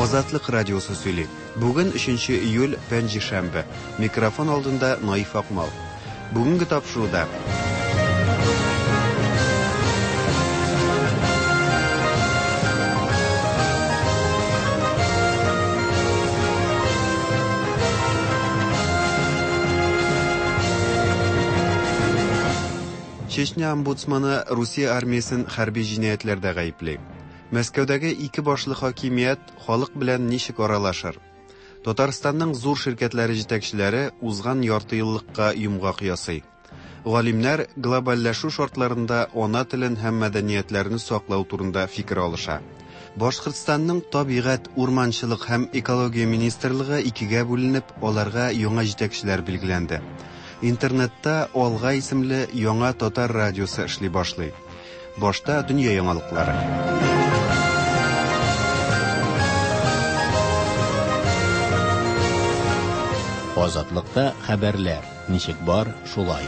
Азатлык радиосы сөйли. Бүген 3 июль, пәнҗешәмбе. Микрофон алдында Наиф Акмал. Бүгенге тапшыруда Чечня омбудсманы Русия армиясен хәрби җинаятьләрдә гаепли. Мәскәүдәге ике башлы хакимият халык белән ничек аралашыр? Татарстанның зур ширкәтләре җитәкчеләре узган яртыеллыкка йомгак ясый. Галимнәр глобальләшү шартларында ана телен һәм мәдәниятләрне саклау турында фикер алыша. Башкортстанның Табигать, урманчылык һәм экология министрлыгы икегә бүленеп, аларга яңа җитәкчеләр билгеләнде. Интернетта Алга исемле яңа татар радиосы эшли башлый. Башта дөнья яңалыклары. Азатлыкта хәбәрләр ничек бар, шулай.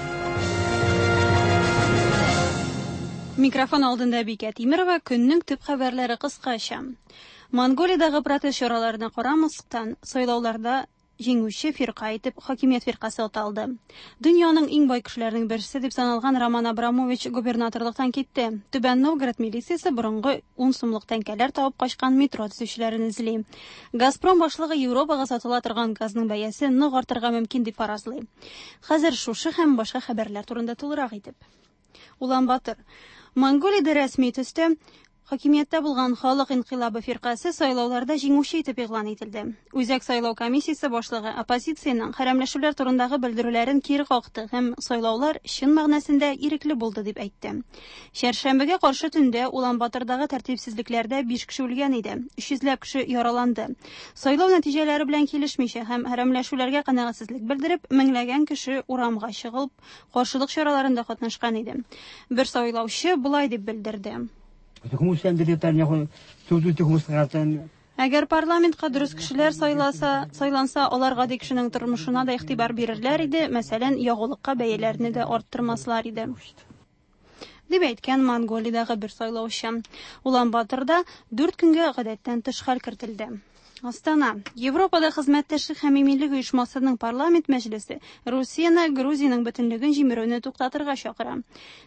Микрофон алдында Бикә Тимерова, көннең төп хәбәрләре кыскача. Монголиядәге протест чараларына карамастан, сайлауларда җиңүче фирка итеп хакимият фиркасы аталды. Дөньяның иң бай кешеләренең берсе дип саналган Роман Абрамович губернаторлыктан китте. Түбән Новгород милициясе борынгы 10 сумлык тәңкәләр табып качкан метро төзүчеләрен эзли. Газпром башлыгы Европага сатыла торган газның бәясе нык артырга мөмкин дип фаразлый. Хәзер шушы һәм башка хәбәрләр турында тулырак итеп. Улан-Батор. Монголиядә рәсми төстә хакимияттә булган Халык инкыйлабы фиркасе сайлауларда җиңүче итеп игълан ителде. Үзәк сайлау комиссиясе башлыгы оппозициянең хәрәмләшүләр турындагы белдерүләрен кире какты һәм сайлаулар чын мәгънәсендә ирекле булды дип әйтте. Чәршәмбегә каршы төндә Улан-Батордагы тәртипсезлекләрдә 5 кеше үлгән иде, 300 ләп кеше яраланды. Сайлау нәтиҗәләре белән килешмичә һәм хәрәмләшүләргә канәгатьсезлек белдереп, меңләгән кеше урамга чыгып, каршылык чараларында катнашкан иде. Бер сайлаучы болай дип белдерде. Әгәр парламентка дөрес кешеләр сайласа, сайланса, алар гади кешенең тормышына да игътибар бирерләр иде, мәсәлән, ягулыкка бәяләрне дә арттырмаслар иде. Дип әйткән Монголиядәге бер сайлаучы. Улан-Баторда 4 көнгә гадәттән тыш хәл кертелде. Астана. Европада хезмәттәшлек һәм иминлек оешмасының парламент мәҗлесе Русияне Грузиянең бөтенлеген җимерүне туктатырга чакыра.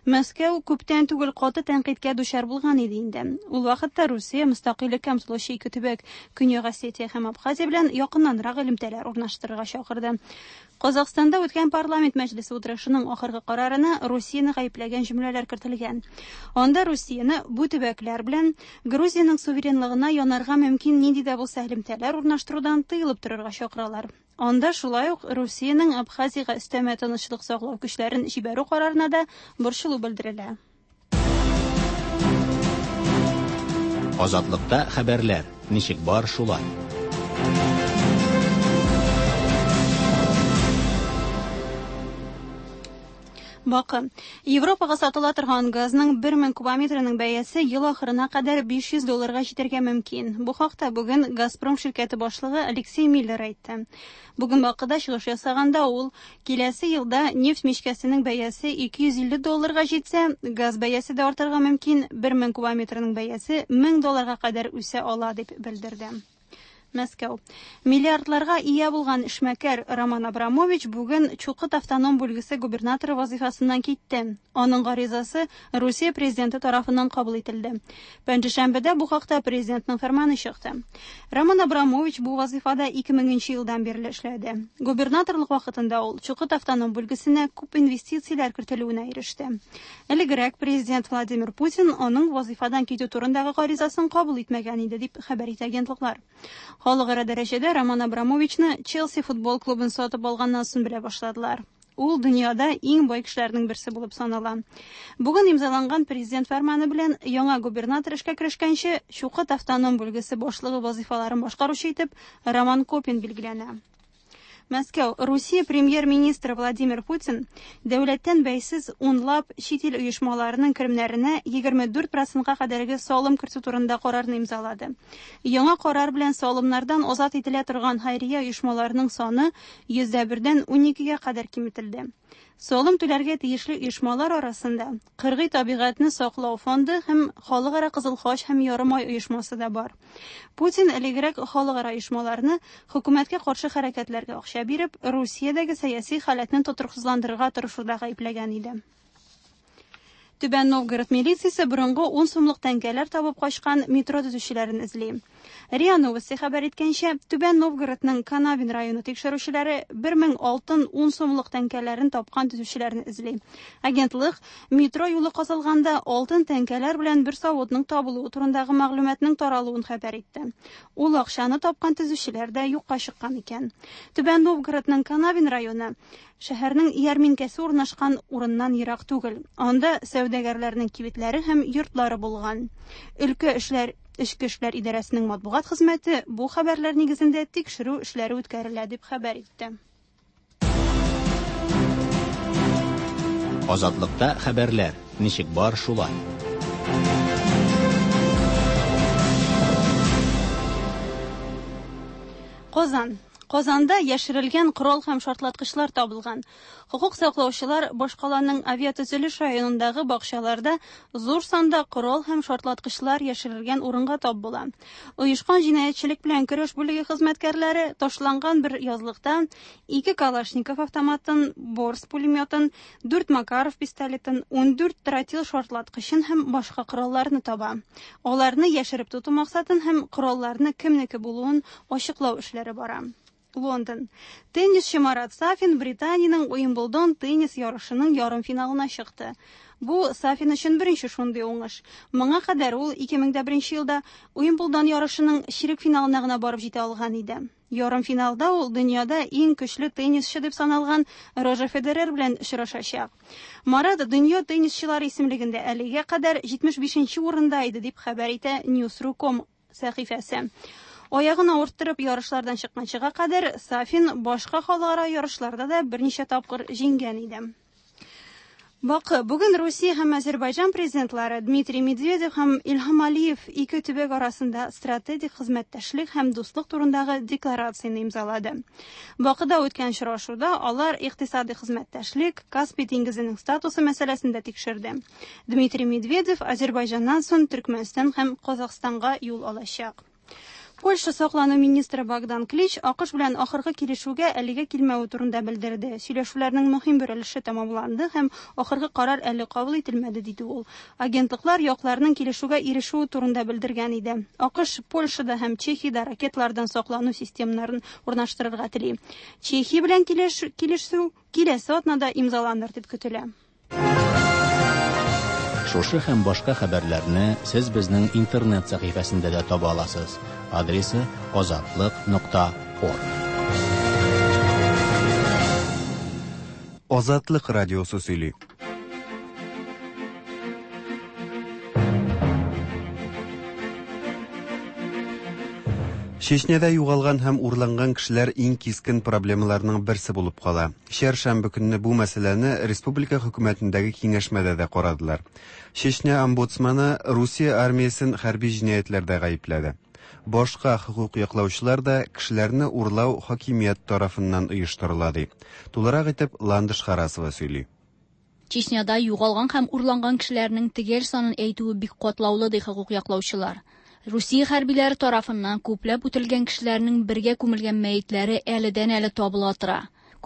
Мәскәү күптән түгел каты тәнкыйтькә дучар булган иде инде. Ул вакытта Русия мөстәкыйльлеккә омтылучы ике төбәк Көньяк Осетия һәм Абхазия белән якыннанрак элемтәләр урнаштырырга чакырды. Казахстанда үткән парламент мәҗлесе утырышының ахыргы карарына Русияне гаепләгән җөмләләр кертелгән. Анда Русияне бу төбәкләр белән Грузиянең суверенлыгына янарга мөмкин нинди дә булса элемтәләр урнаштырудан тыелып торырга чакыралар. Анда шулай ук Русиянең Абхазиягә өстәмә тынычлык саклау көчләрен җибәрү карарына да борчылу белдерелә. Азатлыкта хәбәрләр ничек бар, шулай. Бакы. Европага сатыла торган газның 1000 кубометрының бәясе ел ахырына кадәр 500 долларга җитәргә мөмкин. Бу хакта бүген Газпром ширкәте башлыгы Алексей Миллер әйтте. Бүген Бакыда чыгыш ясаганда ул киләсе елда нефть мичкәсенең бәясе 250 долларга җитсә, газ бәясе дә артырга мөмкин, 1000 кубометрының бәясе 1000 долларга кадәр үсә ала дип белдерде. Мәскәү. Миллиардларга ия булган эшмәкәр Роман Абрамович бүген Чукот автоном бүлгесе губернаторы вазифасыннан китте. Аның гаризасы Русия президенты тарафыннан кабул ителде. Пәнҗешәмбедә бу хакта президентның фәрманы чыкты. Роман Абрамович бу вазифада 2000 елдан бирле эшләде. Губернаторлык вакытында ул Чукот автоном бүлгесенә күп инвестицияләр кертелүенә иреште. Элегрәк президент Владимир Путин аның вазифадан китү турындагы гаризасын кабул итмәгән иде, дип хәбәр итә агентлыклар. Халыкара дәрәҗәдә Роман Абрамовичны Челси футбол клубын сатып алганнан соң белә башладылар. Ул дөньяда иң бай кешеләрнең берсе булып санала. Бүген имзаланган президент фәрманы белән яңа губернатор эшкә керешкәнче Чукот автоном бүлгесе башлыгы вазифаларын башкаручы итеп Роман Копин билгеләнә. Мәскәү, Русия премьер-министры Владимир Путин дәүләттән бәйсез унлап чит ил оешмаларының керемнәренә 24 процентка кадәрге салым кертү турында карарны имзалады. Яңа карар белән салымнардан азат ителә торган хәйрия оешмаларының саны 101-дән 12-гә кадәр киметелде. Салым түләргә тиешле оешмалар арасында Кыргый табигатьне саклау фонды һәм Халыкара Кызыл Хач һәм Ярымай оешмасы да бар. Путин элегрәк халыкара оешмаларны хөкүмәткә каршы хәрәкәтләргә акча биреп, Русиядәге сәяси халәтне тотрыксызландырырга тырышуда гаепләгән иде. Түбән Новгород милициясе борынгы 10 сумлык тәңкәләр табып качкан метро төзүчеләрен эзли. РИА Новости хәбәр иткәнчә, Түбән Новгородның Канавин районы тикшерүчеләре 1000 алтын 10 сумлык тәңкәләрен тапкан төзүчеләрне эзли. Агентлык метро юлы казылганда алтын тәңкәләр белән бер савытның табылуы турындагы мәгълүматның таралуын хәбәр итте. Ул акчаны тапкан төзүчеләр дә юкка чыккан икән. Түбән Новгородның Канавин районы шәһәрнең ярминкәсе урнашкан урыннан ерак түгел. Анда сәүдәгәрләрнең кибетләре һәм йортлары булган. Өлкә эшләр Эчке эшләр идарәсенең матбугат хезмәте бу хәбәрләр нигезендә тикшерү эшләре үткәрелә дип хәбәр итте. Азатлыкта хәбәрләр ничек бар шулай. Казан. Казанда яшерелгән корал һәм шартлаткычлар табылган. Хокук саклаучылар башкаланың авиатөзелеш районындагы бакчаларда зур санда корал һәм шартлаткычлар яшерелгән урынга тап була. Оешкан җинаятьчелек белән көрәш бүлеге хезмәткәрләре ташланган бер язлыкта 2 Калашников автоматын, Борс пулеметын, 4 Макаров пистолетын, 14 тротил шартлаткычын һәм башка коралларны таба. Аларны яшереп тоту максатын һәм коралларны кемнеке булуын ачыклау эшләре бара. Лондон. Теннисчы Марат Сафин Британиянең Уимблдон теннис ярышының ярымфиналына чыкты. Бу Сафин өчен беренче шундый уңыш. Моңа кадәр ул 2001 елда Уимблдон ярышының чирек финалына гына барып җитә алган иде. Ярымфиналда ул дөньяда иң көчле теннисчы дип саналган Рожер Федерер белән очрашачак. Марат дөнья теннисчылары исемлегендә әлегә кадәр 75нче урында иде дип хәбәр итә News.ru.com сәхифәсе. Аягын авырттырып ярышлардан чыкканчыга кадәр Сафин башка халыкара ярышларда да берничә тапкыр җиңгән иде. Бакы, бүген Русия һәм Азербайҗан президентлары Дмитрий Медведев һәм Илһам Алиев ике төбәк арасында стратегик хезмәттәшлек һәм дуслык турындагы декларацияне имзалады. Бакыда үткән очрашуда алар икътисади хезмәттәшлек, Каспий диңгезенең статусы мәсьәләсен дә тикшерде. Дмитрий Медведев Азербайҗаннан соң Төркмәнстан һәм Казахстанга юл алачак. Польша саклану министры Богдан Клич АКШ белән ахыргы килешүгә әлегә килмәве турында белдерде. Сөйләшүләрнең мөһим бер өлеше тәмамланды һәм ахыргы карар әле кабул ителмәде, диде ул. Агентлыклар якларның килешүгә ирешүе турында белдергән иде. АКШ Польшада һәм Чехиядә ракеталардан саклану системаларын урнаштырырга тели. Чехия белән килешү киләсе атнада имзаланыр дип көтелә. Шушы һәм башка хәбәрләрне сез безнең интернет сәхифәсендә дә таба аласыз. Адресы azatliq.org. Азатлык радиосы сөйли. Чечняда югалган һәм урланган кешеләр иң кискен проблемаларның берсе булып кала. Чәршәмбе көнне бу мәсьәләне республика хөкүмәтендәге киңәшмәдә дә карадылар. Чечня омбудсманы Русия армиясен хәрби җинаятьләрдә гаепләде. Башка хокук яклаучылар да кешеләрне урлау хакимият тарафыннан оештырыла ди. Тулырак итеп Ландыш Харасова сөйли. Чечняда югалган һәм урланган кешеләрнең төгәл санын әйтүе бик катлаулы ди хокук яклаучылар. Русия хәрбиләре тарафыннан күпләп үтерелгән кешеләрнең бергә күмелгән мәетләре әледән-әле табыла тора.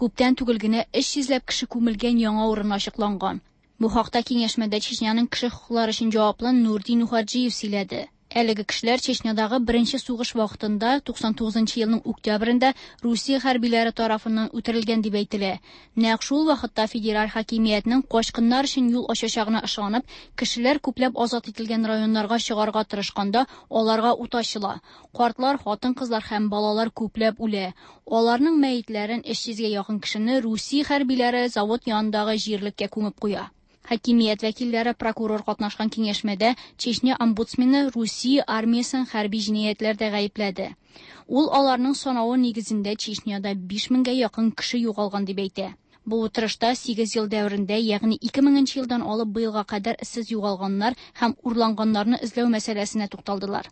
Күптән түгел генә 300 ләп кеше күмелгән яңа урын ачыкланган. Бу хакта киңәшмәдә Чечняның кеше хокуклары өчен җаваплы Нурдин Нухаджиев сөйләде. Әлеге кешеләр Чечнядагы беренче сугыш вакытында 99 елның октябрендә Русия хәрбиләре тарафыннан үтерелгән дип әйтелә. Нәкъ шул вакытта федераль хакимиятнең качкыннар өчен юл ачачагына ышанып, кешеләр күпләп азат ителгән районнарга чыгарга тырышканда аларга ут ачыла. Картлар, хатын-кызлар һәм балалар күпләп үлә. Аларның мәетләрен 300гә якын кешене Русия хәрбиләре завод янындагы җирлеккә күмеп куя. Хакимият вәкилләре прокурор катнашкан киңәшмәдә Чечня омбудсмены Русия армиясен хәрби җинаятьләрдә гаепләде. Ул аларның санавы нигезендә Чечняда 5000гә якын кеше югалган дип әйтә. Бу утырышта 8 ел дәверендә, ягъни 2000 елдан алып быелга кадәр эзсез югалганнар һәм урланганнарны эзләү мәсьәләсенә тукталдылар.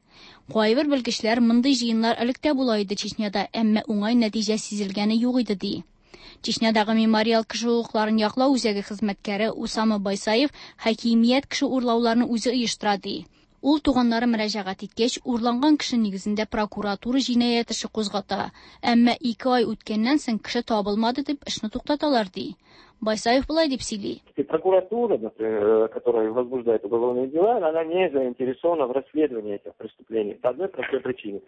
Кайбер белгечләр мондый җыеннар элек тә була иде Чечняда, әмма уңай нәтиҗә сизелгәне юк иде ди. Чечнядагы мемориал кеше хокукларын яклау үзәге хезмәткәре Усама Байсаев хакимият кеше урлауларны үзе оештыра ди. Ул туганнары мөрәҗәгать иткәч, урланган кеше нигезендә прокуратура җинаять эше кузгата. Әмма 2 ай үткәннән соң кеше табылмады дип эшне туктаталар ди. Байсаев болай дип сөйли. Прокуратура, например, которая возбуждает уголовные дела, она не заинтересована в расследовании этих преступлений по одной простой причине.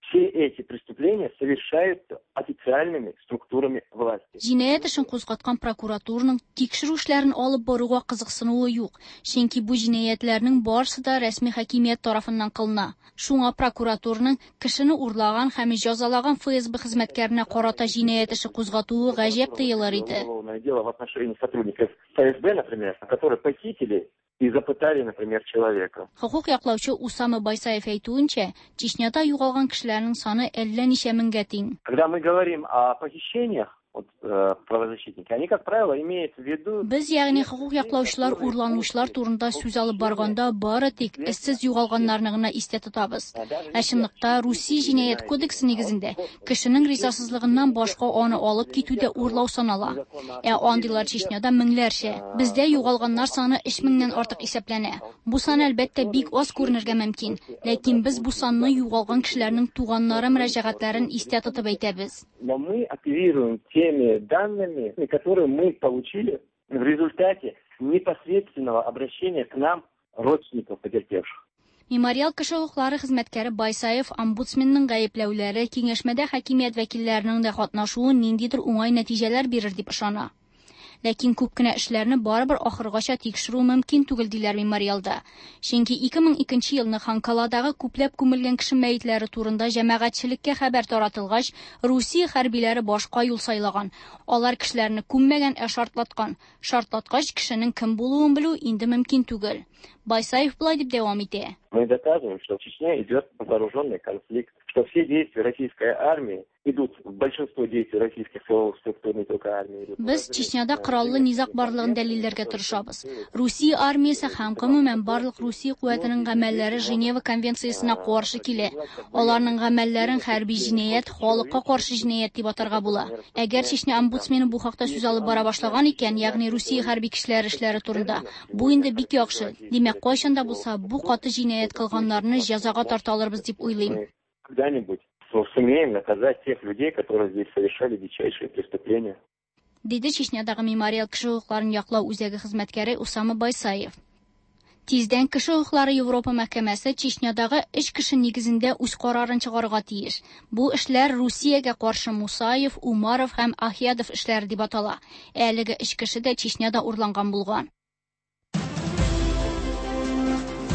Все эти преступления совершаются официальными структурами власти. Җинаять эшен кузгаткан прокуратураның тикшерү эшләрен алып баруга кызыксынуы юк, чөнки бу җинаятьләрнең барысы да рәсми хакимият тарафыннан кылына. Шуңа прокуратураның кешене урлаган һәм җәзалаган ФСБ хезмәткәренә карата җинаять эше кузгатуы гаҗәп тоелыр иде. Уголовное дело в отношении сотрудников ФСБ, например, которые похитили и запытали, например, человека. Хокук яклаучы Усама Байсаев әйтүенчә, Чечняда югалган кешеләрнең саны әллә ничә меңгә тиң. Когда мы говорим о похищениях, вот, правозащитники, они, как правило, имеют в виду... Без, ягъни хокук яклаучылар урланучылар турында сүз алып барганда бары тик эзсез югалганнарны гына истә тотабыз. Ә чынлыкта Русия җинаять кодексы нигезендә кешенең ризасызлыгыннан башка аны алып китү дә урлау санала. Ә андыйлар Чечняда меңләрчә. Бездә югалганнар саны 3000ннән артык исәпләнә. Бу сан әлбәттә бик аз күренергә мөмкин, ләкин без бу санны югалган кешеләрнең туганнары мөрәҗәгатьләрен истә тотып әйтәбез. Но мы оперируем теми данными, которые мы получили в результате непосредственного обращения к нам родственников потерпевших. Мемориал кеше хокуклары хезмәткәре Байсаев омбудсменның гаепләүләре киңәшмәдә хакимият вәкилләренең дә катнашуы ниндидер уңай нәтиҗәләр бирер дип ышана. Ләкин күп кенә эшләрне барыбер ахыргача тикшерү мөмкин түгел диләр мемориалда. Чөнки 2002 елны Ханкаладагы күпләп күмелгән кеше мәетләре турында җәмәгатьчелеккә хәбәр таратылгач, Русия хәрбиләре башка юл сайлаган. Алар кешеләрне күммәгән, ә шартлаткан. Шартлаткач кешенең кем булуын белү инде мөмкин түгел. Байсаев болай дип дәвам итә. Мы доказываем, что в Чечне идет вооруженный конфликт, что все действия российской армии идут, большинство действий российских силовых структур, не только армии, идут. Без Чечняда кораллы низаг барлыгын дәлилләргә тырышабыз. Русия армиясе һәм гомумән барлык Русия куәтенең гамәлләре Женева конвенциясенә каршы килә. Аларның гамәлләрен хәрби җинаять, халыкка каршы җинаять дип атарга була. Әгәр Чечня омбудсмены бу хакта сүз алып бара башлаган икән, ягъни Русия хәрби көчләре эшләре турында, бу инде бик яхшы. Димәк, кайчан да булса бу каты җинаять кылганнарны җәзага тарта алырбыз дип уйлыйм. Когда-нибудь сумеем наказать тех людей, которые здесь совершали дичайшие преступления. Диде Чечнядагы мемориал кеше хокукларын яклау үзәге хезмәткәре Усама Байсаев. Тиздән кеше хокуклары Европа мәхкәмәсе Чечнядагы өч кеше нигезендә үз карарын чыгарырга тиеш. Бу эшләр Русиягә каршы Мусаев, Умаров һәм Ахиядов эшләре дип атала. Әлеге өч кеше дә Чечняда урланган булган.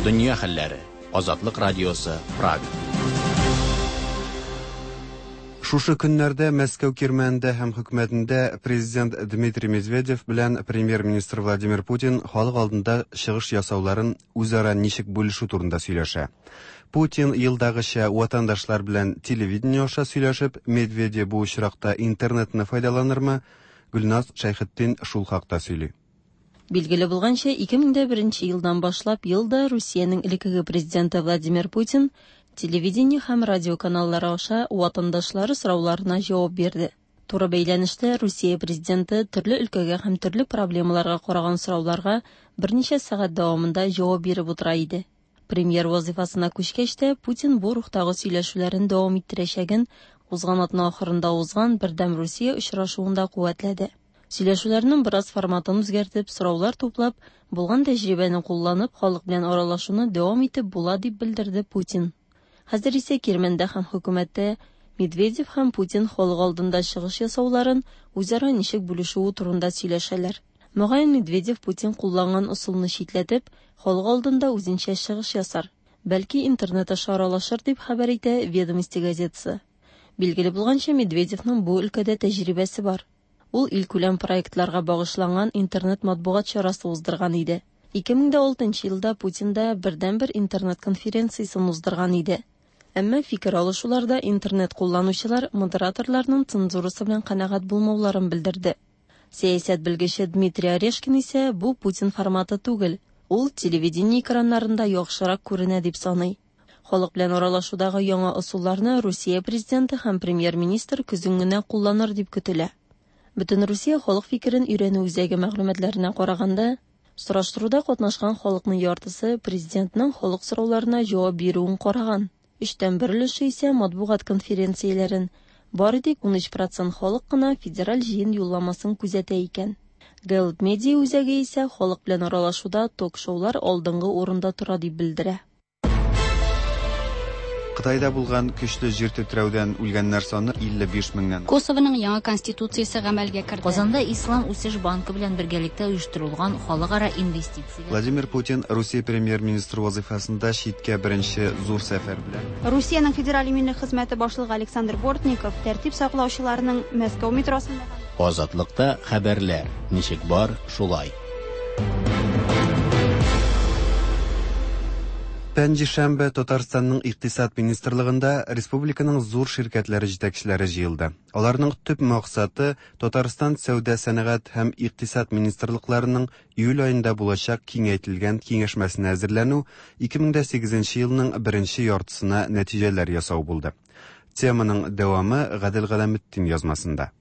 Дөнья хәлләре. Азатлык радиосы, Прага. Шушы көннәрдә Мәскәү кирмәнендә һәм хөкүмәтендә президент Дмитрий Медведев белән премьер-министр Владимир Путин халык алдында чыгыш ясауларын үзара ничек бүлешү турында сөйләшә. Путин елдагыча ватандашлар белән телевидение аша сөйләшеп, Медведев бу очракта интернетны файдаланырмы? Гөлназ Шәйхетдин шул хакта сөйли. Билгеле булганча, 2001 елдан башлап елда Русиянең элеккеге президенты Владимир Путин телевидение һәм радио каналлары аша ватандашлары сорауларына җавап бирде. Туры бәйләнештә Русия президенты төрле өлкәгә һәм төрле проблемаларга караган сорауларга берничә сәгать дәвамында җавап биреп утыра иде. Премьер вазифасына күчкәч тә Путин бу рухтагы сөйләшүләрен дәвам иттерәчәген узган атна ахырында узган Бердәм Русия очрашуында куәтләде. Сөйләшүләрнең бераз форматын үзгәртеп, сораулар туплап, булган тәҗрибәне кулланып, халык белән аралашуны дәвам итеп була дип белдерде Путин. Хәзер исә Кирмәндә һәм хөкүмәттә Медведев һәм Путин халык алдында чыгыш ясауларын үзара ничек бүлешүе турында сөйләшәләр. Мөгаен Медведев Путин кулланган ысулны читләтеп, халык алдында үзенчә чыгыш ясар. Бәлки интернет аша аралашыр дип хәбәр итә Ведомости газетасы. Билгеле булганча, Медведевның бу өлкәдә тәҗрибәсе бар. Ул илкүләм проектларга багышланган интернет матбугат чарасы уздырган иде. 2006 елда Путин да бердәнбер интернет конференциясен уздырган иде. Әмма фикер алышуларда интернет кулланучылар модераторларның цензурасы белән канәгать булмауларын белдерде. Сәясәт белгече Дмитрий Орешкин исә бу Путин форматы түгел, ул телевидение экраннарында яхшырак күренә дип саный. Халык белән аралашудагы яңа ысулларны Русия президенты һәм премьер-министр көзен генә кулланыр дип көтелә. Бөтенрусия халык фикерен өйрәнү үзәге мәгълүматларына караганда, сораштыруда катнашкан халыкның яртысы президентның халык сорауларына җавап бирүен караган. Өчтән бер өлеше исә матбугат конференцияләрен, бары тик 13 процент халык кына федераль җыен юлламасын күзәтә икән. Гэллап медиа үзәге исә халык белән аралашуда ток-шоулар алдынгы урында тора дип белдерә. Кытайда булган көчле җир тетрәүдән үлгәннәр саны 55 меңнән. Косованың яңа конституциясе гамәлгә керде. Казанда Ислам үсеш банкы белән бергәлектә оештырылган халыкара инвестицияләр Владимир Путин Русия премьер-министры вазыйфасында читкә беренче зур сәфәр белән. Русиянең Федераль иминлек хезмәте башлыгы Александр Бортников тәртип саклаучыларның Мәскәү метросында Азатлыкта хәбәрләр ничек бар, шулай. Пәнҗешәмбе Татарстанның Икътисад министрлыгында республиканың зур ширкәтләре җитәкчеләре җыелды. Аларның төп максаты Татарстан сәүдә сәнәгать һәм икътисад министрлыкларының июль аенда булачак киңәйтелгән киңәшмәсенә әзерләнү, 2008 елның беренче яртысына нәтиҗәләр ясау булды. Теманың дәвамы Гадел Галәметдин язмасында.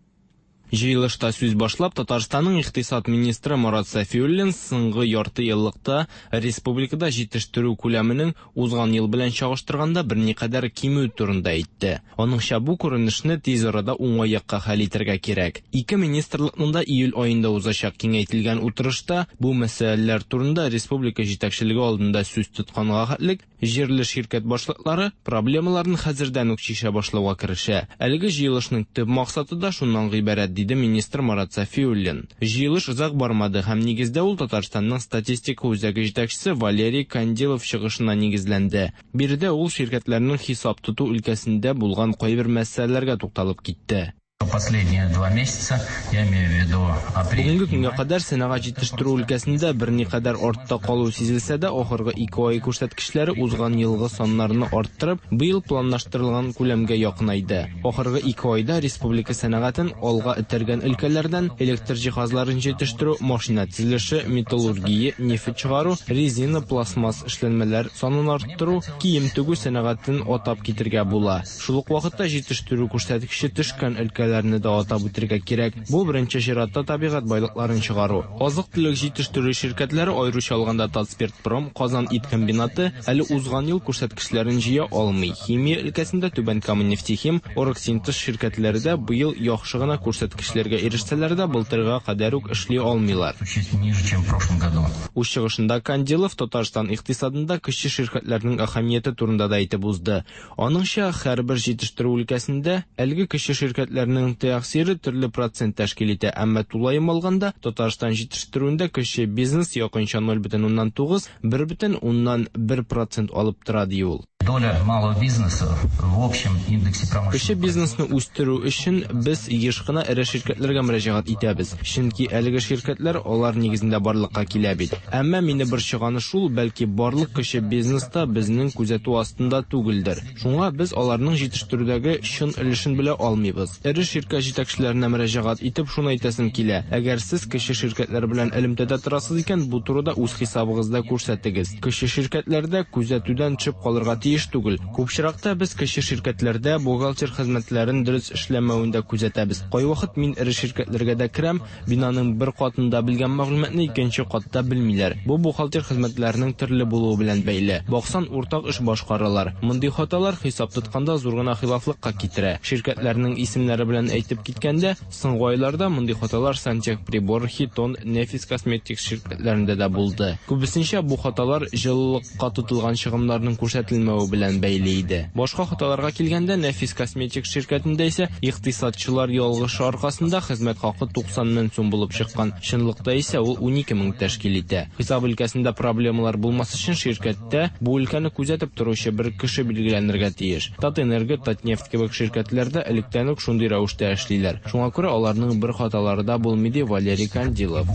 Җыелышта сүз башлап, Татарстанның икътисад министры Марат Сафиуллин соңгы ярты еллыкта республикада җитештерү күләменең узган ел белән чагыштырганда берникадәр кимү турында әйтте. Аныңча бу күренешне тиз арада уңай якка хәл итәргә кирәк. Ике министрлыкның да июль аенда узачак киңәйтелгән утырышта бу мәсьәләләр турында республика җитәкчелеге алдында сүз тотканга хәтлек җирле ширкәт башлыклары проблемаларын хәзердән үк чишә башлауга керешә. Әлеге җыелышның төп максаты да шуннан гыйбарәт, диде министр Марат Сафиуллин. Җыелыш озак бармады һәм нигездә ул Татарстанның статистика үзәге җитәкчесе Валерий Кандилов чыгышына нигезләнде. Биредә ул ширкәтләрнең хисап тоту өлкәсендә булган кайбер мәсьәләләргә тукталып китте. Последние 2 месяца, я имею в виду апрель. Бүгенге көнгә кадәр сәнәгать җитештерү өлкәсендә берникадәр артта калу сизелсә дә, ахыргы 2 ай күрсәткечләре узган елгы саннарны арттырып, быел планлаштырылган күләмгә якынайды. Ахыргы 2 айда республика сәнәгатен алга этәргән өлкәләрдән электр җиһазларын җитештерү, машина төзелеше, металлургия, нефть чыгару, резина, пластмасс эшләнмәләр санын арттыру, кием тегү сәнәгатен атап китергә була. Шул ук вакытта җитештерү күрсәткече төшкән өлкәләрне дә атап үтергә кирәк. Бу беренче чиратта табигать байлыкларын чыгару. Азык-төлек җитештерү ширкәтләре, аеруча алганда Татспиртпром, Казан ит комбинаты әле узган ел күрсәткечләрен җыя алмый. Химия өлкәсендә Түбән Кама нефтехим, Оргсинтез ширкәтләре дә быел яхшы гына күрсәткечләргә ирешсәләр дә, былтырга кадәр үк эшли алмыйлар. Ниже, чем в прошлом году. Үз чыгышында Кандилов Татарстан икътисадында кече ширкәтләрнең әһәмияте турында да әйтеп узды. Аныңча, һәрбер җитештерү өлкәсендә әлеге кече ширкәтләрнең тәэсире төрле процент тәшкил итә, әмма тулаем алганда Татарстан җитештерүендә кече бизнес якынча 0,9-1,1% алып тора, ди ул. Доля малого бизнеса в общем индексе промышленности. Кече бизнесны үстерү өчен без еш кына эре ширкәтләргә мөрәҗәгать итәбез, чөнки әлеге ширкәтләр алар нигезендә барлыкка килә бит. Әмма мине борчыганы шул, бәлки барлык кече бизнеста безнең күзәтү астында түгелдер. Шуңа без аларның җитештерүдәге чын өлешен белә алмыйбыз. Эре ширкәт җитәкчеләренә мөрәҗәгать итеп шуны әйтәсем килә. Әгәр сез кече ширкәтләр белән элемтәдә торасыз икән, бу турыда үз хисабыгызда күрсәтегез. Кече ширкәтләрдә күзәтүдән төшеп калырга тиеш түгел. Күп очракта без кече ширкәтләрдә бухгалтер хезмәтләрен дөрес эшләмәвен дә күзәтәбез. Кайвакыт мин эре ширкәтләргә дә керәм, бинаның бер катында белгән мәгълүматны икенче катта белмиләр. Бу бухгалтер хезмәтләренең төрле булуы белән бәйле. Баксан, уртак эш башкаралар. Мондый хаталар хисап тотканда зур гына хилафлыкка китерә. Ширкәтләрнең исемнәре белән әйтеп киткәндә, соңгы айларда мондый хаталар Сантехприбор, Хитон, Нефис косметик ширкәтләрендә дә булды. Күбесенчә бу хаталар җылылыкка тотылган чыгымнарның күрсәтелмәве белән бәйле иде. Башка хаталарга килгәндә, Нефис косметик ширкәтендә исә икътисадчылар ялгышы аркасында хезмәт хакы 90 мең сум булып чыккан. Чынлыкта исә ул 12 мең тәшкил итә. Хисап өлкәсендә проблемалар булмас өчен ширкәттә бу өлкәне күзәтеп торучы бер кеше билгеләнергә тиеш. Татэнерго, Татнефть кебек ширкәтләрдә электән үк шундый рәвештә рәвештә эшлиләр. Шуңа күрә аларның бер хаталары да булмый, ди Валерий Кандилов.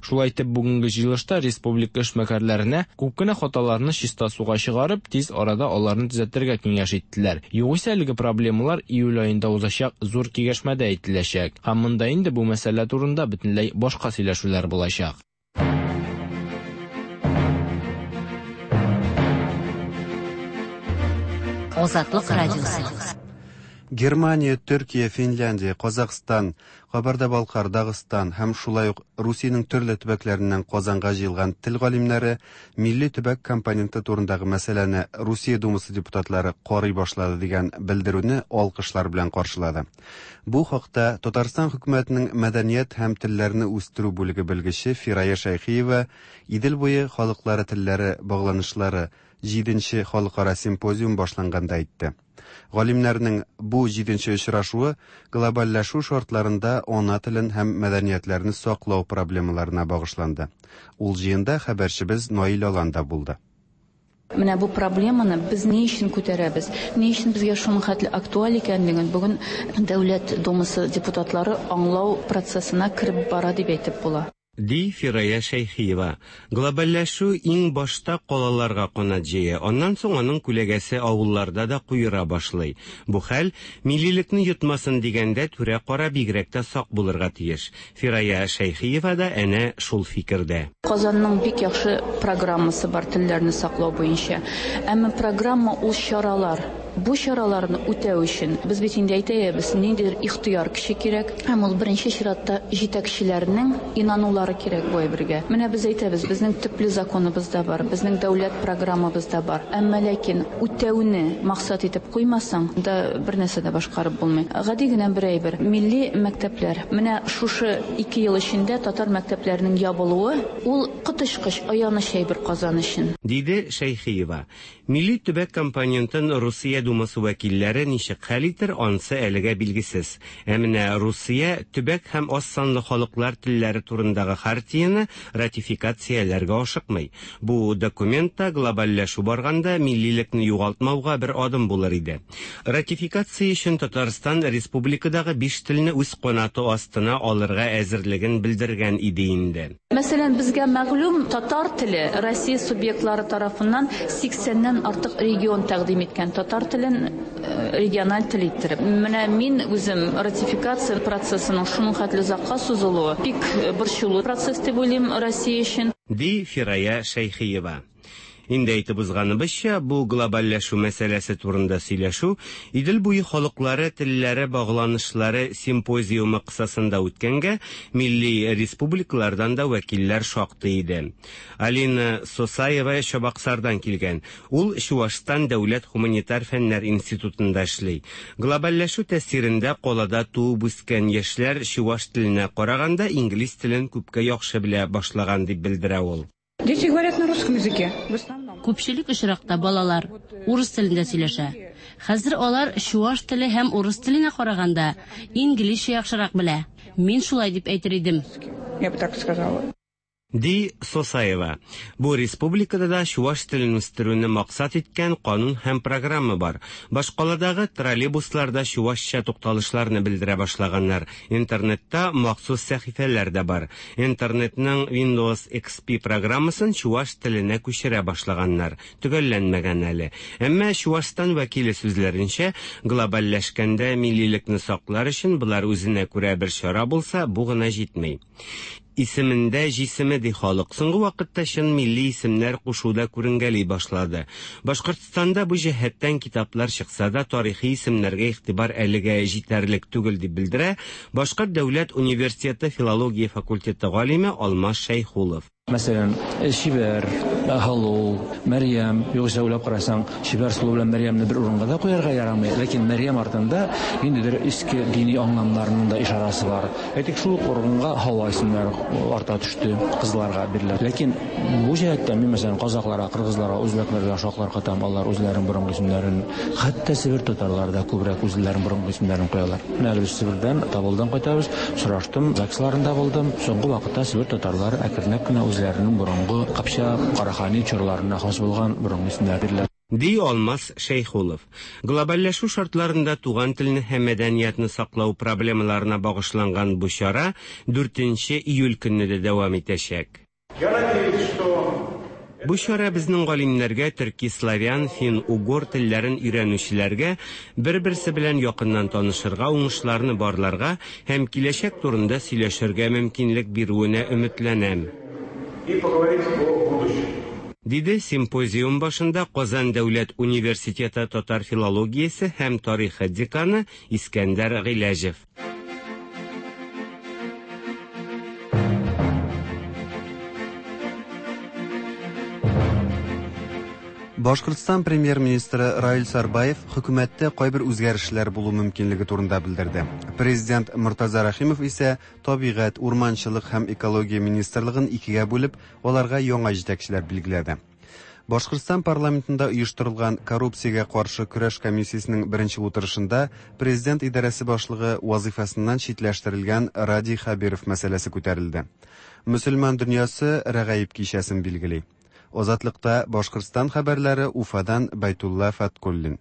Шулай итеп, бүгенге җыелышта республика эшмәкәрләренә күп кенә хаталарны чиста суга чыгарып, тиз арада аларны төзәтергә киңәш иттеләр. Югыйсә әлеге проблемалар июль аенда узачак зур киңәшмәдә әйтеләчәк. Һәм монда инде бу мәсьәлә турында бөтенләй башка сөйләшүләр булачак. Азатлык радиосы. Германия, Төркия, Финляндия, Казахстан, Кабарда-Балкар, Дагыстан һәм шулай ук Русиянең төрле төбәкләреннән Казанга җыелган тел галимнәре милли төбәк компоненты турындагы мәсьәләне Русия Думасы депутатлары карый башлады дигән белдерүне алкышлар белән каршылады. Бу хакта Татарстан хөкүмәтенең мәдәният һәм телләрне үстерү бүлеге белгече Фирая Шәйхиева Идел буе халыклары телләре багланышлары җиденче халыкара симпозиум башланганда әйтте. Галимнәрнең бу җиденче очрашуы глобальләшү шартларында ана телен һәм мәдәниятләрне саклау проблемаларына багышланды. Ул җыенда хәбәрчебез Наил Алан да булды. Менә бу проблеманы без ни өчен күтәрәбез, ни өчен безгә шуның хәтле актуаль икәнлеген бүген Дәүләт Думасы депутатлары аңлау процессына кереп бара дип әйтеп була. Ди Фирая Шәйхиева. Глобальләшү иң башта калаларга канат җәя, аннан соң аның күләгәсе авылларда да куера башлый. Бу хәл, миллилекне йотмасын дигәндә, түрә-кара бигрәк тә сак булырга тиеш. Фирая Шәйхиева да әнә шул фикердә. Казанның бик яхшы программасы бар телләрне саклау буенча. Әмма программа ул чаралар. Бу чараларны үтәү өчен без бит инде әйтәбез, ниндидер ихтыяр көче кирәк. Һәм ул беренче чиратта җитәкчеләрнең инанулары кирәк бу әйбергә. Менә без әйтәбез, безнең төпле законыбыз да бар, безнең дәүләт программабыз да бар. Әмма ләкин үтәүне максат итеп куймасаң да бер нәрсә дә башкарып булмый. Гади генә бер әйбер. Милли мәктәпләр. Менә шушы 2 ел эчендә татар мәктәпләренең ябылуы ул коточкыч аяныч әйбер Казан өчен. Диде Шәйхиева. Милли төбәк компонентын Русия Думасы вәкилләре ничек хәл итер, ансы әлегә билгесез. Ә менә Русия төбәк һәм аз санлы халыклар телләре турындагы хартияне ратификацияләргә ашыкмый. Бу документ та глобальләшү барганда миллилекне югалтмауга бер адым булыр иде. Ратификация өчен Татарстан республикадагы 5 телне үз канаты астына алырга әзерлеген белдергән иде инде. Мәсәлән, безгә мәгълүм татар теле Россия субъектлары тарафыннан 80-нән артык регион тәкъдим иткән татар телен региональ тел иттереп. Менә мин үзем ратификация процессының шуның хәтле озакка сузылуы бик борчулы процесс дип уйлыйм Россия өчен. Ди Фирая Шәйхиева. Инде әйтеп узганыбызча, бу глобальләшү мәсьәләсе турында сөйләшү Идел буе халыклары телләре багланышлары симпозиумы кысасында үткәнгә милли республикалардан да вәкилләр шактый иде. Алина Сосаева Чабаксардан килгән. Ул Чуашстан дәүләт гуманитар фәннәр институтында эшли. Глобальләшү тәэсирендә калада туып үскән яшьләр чуаш теленә караганда инглиз телен күпкә яхшы белә башлаган дип белдерә ул. Дети говорят на русском языке. В основном. Күпчелек очракта балалар урыс телендә сөйләшә. Хәзер алар чуаш теле һәм урыс теленә караганда инглизчә яхшырак белә. Мин шулай дип әйтер идем. Я бы так сказала. Ди Сосаева. Бу республикада да чуаш телен үстерүне максат иткән канун һәм программа бар. Башкаладагы троллейбусларда чуашча тукталышларны белдерә башлаганнар. Интернетта махсус сәхифәләр дә бар. Интернетның Windows XP программасын чуаш теленә күчерә башлаганнар. Төгәлләнмәгән әле. Әмма Чуашстан вәкиле сүзләренчә, глобальләшкәндә миллилекне саклар өчен болар үзенә күрә бер чара булса, бу гына җитми. Исемендә җисеме ди халык. Соңгы вакытта чын милли исемнәр кушуда күренгәли башлады. Башкортстанда бу җәһәттән китаплар чыкса да, тарихи исемнәргә игътибар әлегә җитәрлек түгел дип белдерә Башкорт дәүләт университеты филология факультеты галиме Алмаз Шәйхулов. Мәсәлән, Шибәр, Һалу, Мәрьям, югыйсә уйлап карасаң, Шибәр сылу белән Мәрьямне бер урынга да куярга ярамый. Ләкин Мәрьям артында ниндидер иске дини аңламнарның да ишарасы бар. Әйтик, шул ук урынга Һава исемнәре арта төште, кызларга бирелә. Ләкин бу җәһәттән мин, мәсәлән, казакъларга, кыргызларга, үзбәкләргә шаклар катам, алар үзләренең борынгы исемнәрен, хәтта Себер татарлары да күбрәк үзләренең борынгы исемнәрен куялар. Менә әле без Себердән, Табылдан кайтабыз, сораштым, ЗАГСларында булдым. Соңгы вакытта Себер татарлары әкренләп кенә үзләренең борынгы Кыпчак, Карахани чорларына хас булган борынгы исемнәр бирелә. Ди Алмаз Шәйхулов. Глобальләшү шартларында туган телне һәм мәдәниятне саклау проблемаларына багышланган бу чара 4 июль көнне дә дәвам итәчәк. Я надеюсь, что Бу чара безнең галимнәргә, төрки-славян, фин-угор телләрен өйрәнүчеләргә бер-берсе белән якыннан танышырга, уңышларны барларга һәм киләчәк турында сөйләшергә мөмкинлек бирүенә өметләнәм. И поговорить о будущем. Диде симпозиум башында Казан дәүләт университеты татар филологиясе һәм тарихы деканы Искәндәр Гыйләҗев. Башкортстан премьер-министры Раил Сарбаев хөкүмәттә кайбер үзгәрешләр булу мөмкинлеге турында белдерде. Президент Мортаза Рәхимов исә табигать, урманчылык һәм экология министрлыгын икегә бүлеп, аларга яңа җитәкчеләр билгеләде. Башкортстан парламентында оештырылган коррупциягә каршы көрәш комиссиясенең беренче утырышында президент идарәсе башлыгы вазыйфасыннан читләштерелгән Радий Хәбиров мәсьәләсе күтәрелде. Мөселман дөньясы Рәгаиб кичәсен билгели. Азатлыкта Башкортстан хәбәрләре Уфадан Байтулла Фаткуллин.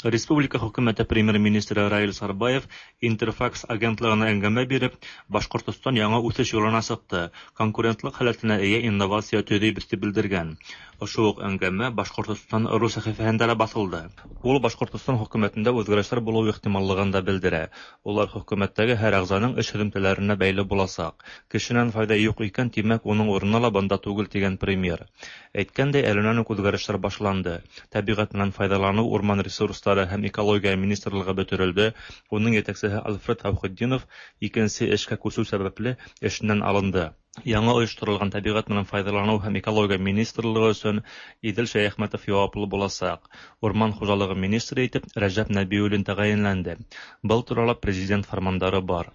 Республика хөкүмәте премьер-министры Раил Сарбаев Интерфакс агентлыгына әңгәмә биреп, Башкортостан яңа үсеш юлына чыкты, конкурентлык халәтенә ия инновация төзибез дип белдергән. Ошо ук әңгәмә Башкортостан ру сәхифәһендә дә басылды. Ул Башкортостан хөкүмәтендә үзгәрешләр булу ихтималлыгын да белдерә. Улар хөкүмәттәге һәр әгъзаның эш һөҙөмтәләренә бәйле буласак. Кешенән файда юк икән, тимәк, уның урыны ла бында түгел дигән премьер. Әйткәндәй, әленән үк үзгәрешләр башланды. Тәбиғәт менән файҙаланыу, урман ресурстары һәм экология министрлыгы бөтөрөлдө. Уның етәксеһе Альфред Әүхетдинов икенсе эшкә күсеү сәбәпле эшеннән алынды. Яңы ойошторолған тәбиғәт менән файҙаланыу һәм экология министрлыгы өсөн Иҙел Шәйәхмәтов яуаплы буласаҡ. Урман хужалығы министры итеп Рәжәп Нәбиуллин тәғәйенләнде. Был турала президент фармандары бар.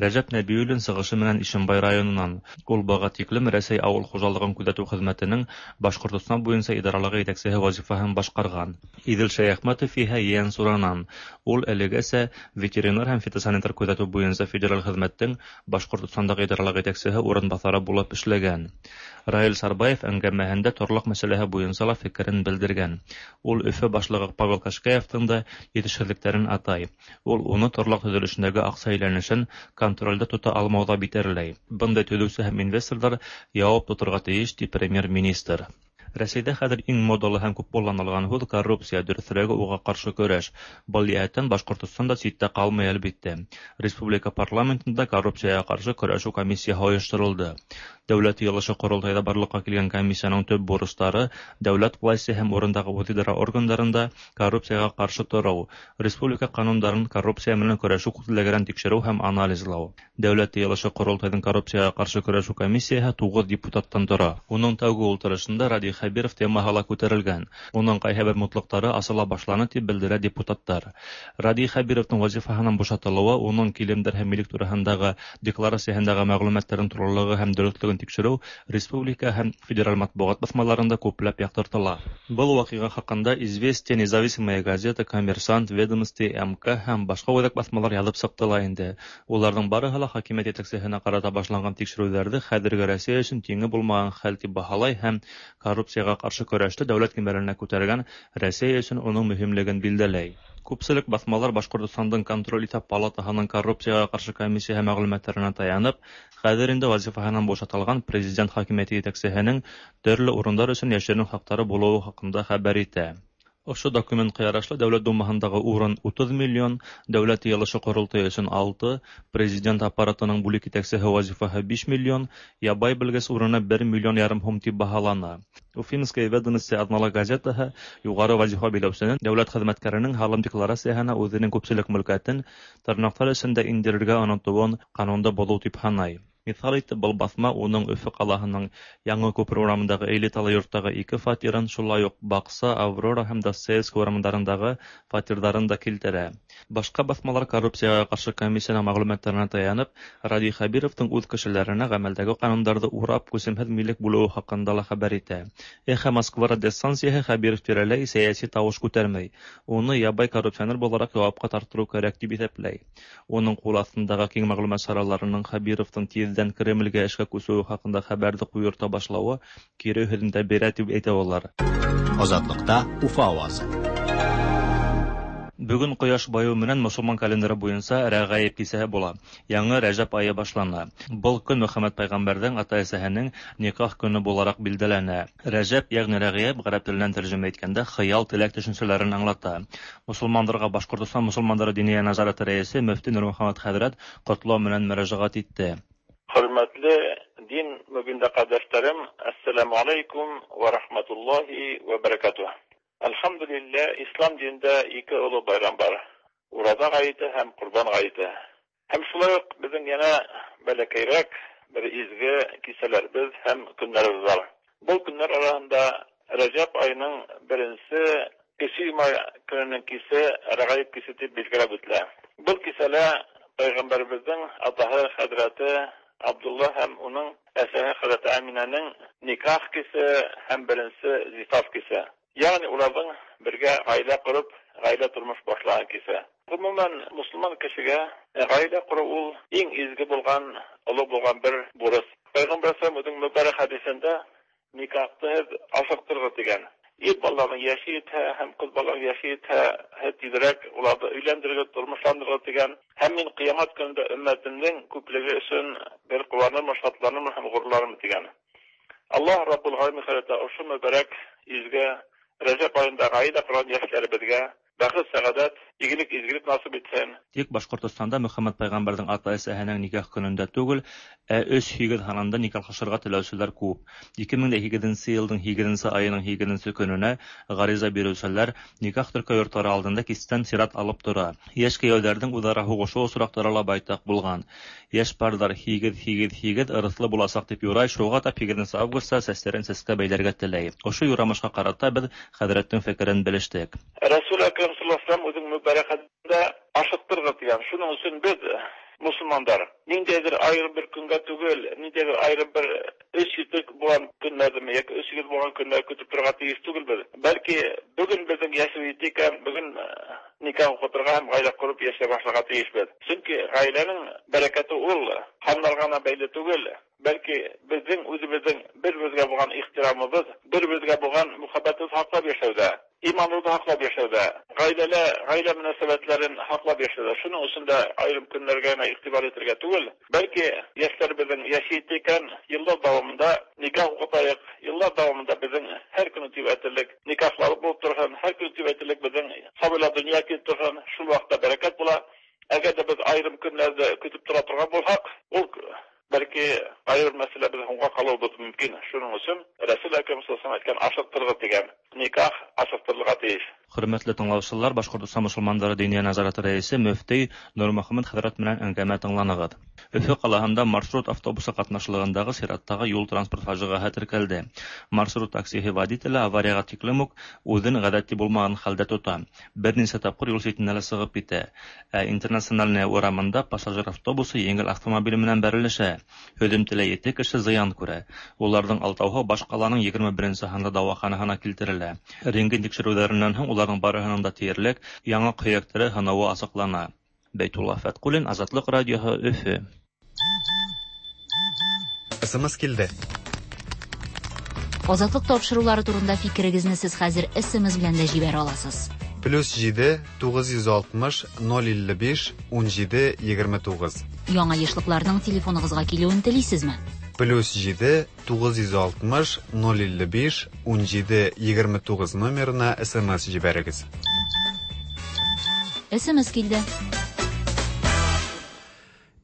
Рәжәп Нәбиуллин сығышы менән Ишембай районынан. Ул быға тиклем Рәсәй ауыл хужалығын күҙәтеү хеҙмәтенең Башҡортостан буйынса идаралығы етәксеһе вазифаһын башҡарған. Иҙел Шәйәхмәтов иһә Ейәнсуранан. Ул әлегәсә ветеринар һәм фитосанитар күҙәтеү буйынса федераль хеҙмәттең Башҡортостандағы идаралыҡ етәксеһе урынбаҫары булып эшләгән. Раил Сарбаев әңгәмәһендә торлаҡ мәсьәләһе буйынса ла фекерен белдергән. Ул Өфө башлығы Павел Кашкаевтың да етешһеҙлектәрен атай. Ул уны торлаҡ төҙөлөшөндәге аҡса әйләнешен контролдә тота алмауҙа битәрләй. Бындай төҙөүсе һәм инвесторҙар яуап тоторға тейеш, ти премьер-министр. Рәсәйҙә хәҙер иң модалы һәм күп ҡулланылған һүҙ коррупция, дөрөҫөрәге уға ҡаршы көрәш. Был йәһәттән Башҡортостан да ситтә ҡалмай, әлбиттә. Республика парламентында коррупцияға ҡаршы көрәшеү комиссияһы ойошторолдо. Дәүләт йыйылышы ҡоролтайҙа барлыҡҡа килгән комиссияның төп бурыстары дәүләт власти һәм урындағы үҙ-идара органдарында коррупцияға ҡаршы тороу, республика ҡанундарын коррупция менән көрәшеү күҙлегенән тикшереү һәм анализлау. Дәүләт йыйылышы ҡоролтайҙың коррупцияға ҡаршы көрәшеү комиссияһы 9 депутаттан тора. Уның тәүге ултырышында Радий Хәбиров темаһы ла күтәрелгән. Уның ҡайһы бер мутлыҡтары асыла башланы тип белдерә депутаттар. Радий Хәбировтың вазифаһынан бушатылыуы уның килемдәр һәм милек тураһындағы декларацияһындағы мәғлүмәттәрҙең тулылығы һәм дөрөҫлөгөн тикшереү республика һәм федераль матбуғат баҫмаларында күпләп яҡтыртыла. Был ваҡиға хаҡында Известия, Независимая газета, Коммерсант, Ведомости, МК һәм башҡа үҙәк баҫмалар яҙып сыҡты ла инде. Уларҙың барыһы ла хакимиәт етәксеһенә ҡарата башланған тикшереүҙәрҙе хәҙерге Рәсәй өсөн тиңе булмаған хәл тип баһалай һәм коррупцияға ҡаршы көрәште дәүләт кимәленә күтәргән Рәсәй өсөн уның мөһимлеген билдәләй. Күпселек баҫмалар Башҡортостандың контроль иҫәп палатаһының коррупцияға ҡаршы комиссияһы мәғлүмәттәренә таянып, хәҙер инде вазифаһынан бушатылған президент хакимиәте етәксеһенең төрлө урындар өсөн йәшерен хаҡтары булыуы хаҡында хәбәр итә. Ошо документҡа ярашлы Дәүләт Думаһындағы урын 30 миллион, Дәүләт йыйылышы ҡоролтайы өсөн 6, президент аппаратының бүлек етәксеһе вазифаһы 5 миллион, ябай белгес урыны 1 миллион ярым һум тип баһалана. Уфимская ведомости аҙнала газетаһы юғары вазифа биләүсенең дәүләт хеҙмәткәренең һалым декларацияһына үҙенең күпселек мөлкәтен тырнаҡтар эсендә индерергә онотоуын ҡанунды боҙоу тип һанай. Миҫал итеп, был баҫма уның Өфө ҡалаһының Яңы Күпер урамындағы элиталы йорттағы 2 фатирын, шулай уҡ Баҡса, Аврора һәм Достоевский урамдарындағы фатирҙарын да килтерә. Башҡа баҫмалар коррупцияға ҡаршы комиссияның мәғлүмәттәренә таянып, Радий Хәбировтың үҙ кешеләренә ғәмәлдәге ҡанундарҙы урап күсемһеҙ милек бүлеүе хаҡында ла хәбәр итә. Эхо Москва радиостанцияһы Хәбиров тирәләй сәйәси тауыш күтәрмәй, уны ябай коррупционер булараҡ яуапҡа тартырыу кәрәк тип иҫәпләй. Уның ҡул аҫтындағы киң мәғлүмәт сараларының Хәбировтың тиҙ тиздән Кремльгә эшкә күчүе хакында хәбәрне куерта башлавы кире һөҙөмтә бирә дип әйтә алар. Азатлыкта Уфа авазы. Бүген кояш баю менән мосолман календары буенча Рәгаиб кисәһе була. Яңы Рәҗәб ае башлана. Был көн Мөхәммәд пәйгамбәрҙең ата-әсәһенең никах көне булараҡ билдәләнә. Рәҗәб, ягъни Рәгаиб гарәп теленән тәрҗемә иткәндә хыял, теләк төшенчәләрен аңлата. Мосолмандарға Башҡортостан мосолмандары диния назараты рәисе мөфти Нурмөхәммәд хәҙрәт ҡотлау менән мөрәжәғәт итте. Хөрмәтле дин мөбиндә кардәшләрем, ассаламу алейкум ва рахматуллахи ва баракатуһ. Әлхәмдүлилләһ, ислам динендә ике олы байрам бар. Ураза гаете һәм Корбан гаете. Һәм шулай ук безнең янә бәләкәйрәк бер изге кисәләребез һәм көннәребез бар. Был көннәр арасында Рәҗәб аеның беренче кече йома көненең кисе Рәгаиб кисе дип билгеләп үтелә. Был кисәлә пәйгамбәребезнең атаһы хәзрәте Абдулла һәм уның әсәһе хәзрәте Әминәнең никах кисе һәм беренче зифаф кисе. Ягъни уларның бергә гаилә корып, гаилә тормыш башлаган кисә. Гомумән, мусульман кешегә гаилә кору ул иң изге булган, олы булган бер бурыс. Пәйгамбәр саллаллаху үзенең мөбарәк хәдисендә никахты һеҙ ашыҡтырығыҙ тигән. Ир балаларның йәше етһә һәм ҡыҙ балаларның йәше етһә, һеҙ тиҙерәк уларҙы өйләндерегеҙ, тормошландырығыҙ тигән. Һәм мин ҡиәмәт көнөндә өммәтемдең күплеге өсөн бер ҡыуанырмын, шатланырмын һәм ғорурланырмын тигән. Аллаһ Раббул Ғаләмин хәҙрәте ошо мөбәрәк изге Рәҗәб аенда гаилә корган йәшләребеҙгә бәхет, сәғәдәт, игелек, изгелек насыйп итһен. Тик Башҡортостанда Мөхәммәд пәйғәмбәрҙең ата-әсәһенең никах көнөндә түгел, ә 3-8 һанында никахлашырға теләүселәр күп. 2008 йылдың 8 айының 8 көнөнә ғариза биреүселәр никах теркәү йорттары алдында кистән сират алып тора. Йәш кейәүҙәрҙең үҙ-ара һуғышыу осраҡтары ла байтаҡ булған. Йәш парҙар 8-8-8 ырыҫлы буласаҡ тип юрай, шуға тап 8 августта сәстәрен сәскә бәйләргә теләй. Ошо юрамышҡа ҡарата беҙ хәҙрәттең фекерен белештек. Рәсүл Әкрәм саллаллаху алейһи ва сәлләм үҙенең мөбәрәк хәдисендә ашыҡтырығыҙ тигән. Шуның өсөн беҙ мосолмандар ниндәйҙер айырым бер көнгә түгел, ниндәйҙер айырым бер 3-7 булған көннәрҙеме йәки 3-8 булған көннәрҙе көтөп торорға тейеш түгелбеҙ. Бәлки бөгөн беҙҙең йәшебеҙ етте икән, бөгөн никах уҡытырға һәм ғаилә ҡороп йәшәй башларға тейешбеҙ. Сөнки ғаиләнең бәрәкәте ул һаннарға ғына бәйле түгел, бәлки беҙҙең үҙебеҙҙең бер-беребеҙгә булған ихтирамыбыҙ, бер-беребеҙгә булған мөхәббәтебеҙ һаҡлап йәшәүҙә, иманыбыҙҙы һаҡлап йәшәүҙә, ғаиләлә ғаилә мөнәсәбәтләрен һаҡлап йәшәүҙә. Шуның өсөн дә айырым көннәргә генә иғтибар итергә түгел, бәлки йәштәребеҙҙең йәше етте икән, йылдар дауамында никах уҡытайыҡ, йылдар дауамында беҙҙең һәр көнө тип әйтерлек никахлар булып торһон, һәр көнө тип әйтерлек беҙҙең сабыйлар донъя килеп торһон, шул ваҡытта бәрәкәт була. Әгәр ҙә беҙ айырым көннәрҙе көтөп тора торған булһаҡ, ул бәлки айырым мәсьәлә беҙ һуңға ҡалыуыбыҙ мөмкин. Шуның өсөн Рәсүл Әкрәм саллаллаху алейһи әйткән ашыҡтырығыҙ тигән никах ашыҡтырылырға тейеш. Хөрмәтле тыңлаусылар, Башҡортостан мосолмандары диния назараты рәисе мөфти Нурмөхәммәт хәҙрәт менән әңгәмә тыңланығыҙ. Өфө ҡалаһында маршрут автобусы ҡатнашлығындағы сираттағы юл транспорт фажиғаһы теркәлде. Маршрут таксиһы водителе аварияға тиклем үк үҙен ғәҙәти булмаған хәлдә тота. Бер нисә тапҡыр юл ситенә лә сығып китә. Ә Интернациональная урамында пассажир автобусы еңел автомобиль менән бәрелешә. Һөҙөмтәлә 7 кеше зыян күрә. Уларҙың 6-һы баш ҡаланың 21-нсе һанлы дауаханаһына килтерелә. Рентген тикшереүҙәренән һуң уларҙың барыһының да тиерлек яңаҡ һөйәктәре һынауы асыҡлана. Бәйтулла Фәтҡуллин, Азатлыҡ радиоһы, Өфө. СМС килде. Азатлык тапшырулары турында фикерегезне сез хәзер СМС белән дә җибәрә аласыз. +7 960 055 17 29. Яңа ешлыкларның телефоныгызга килүен телисезме? +7 960 055 17 29 номерына СМС җибәрегез. СМС килде.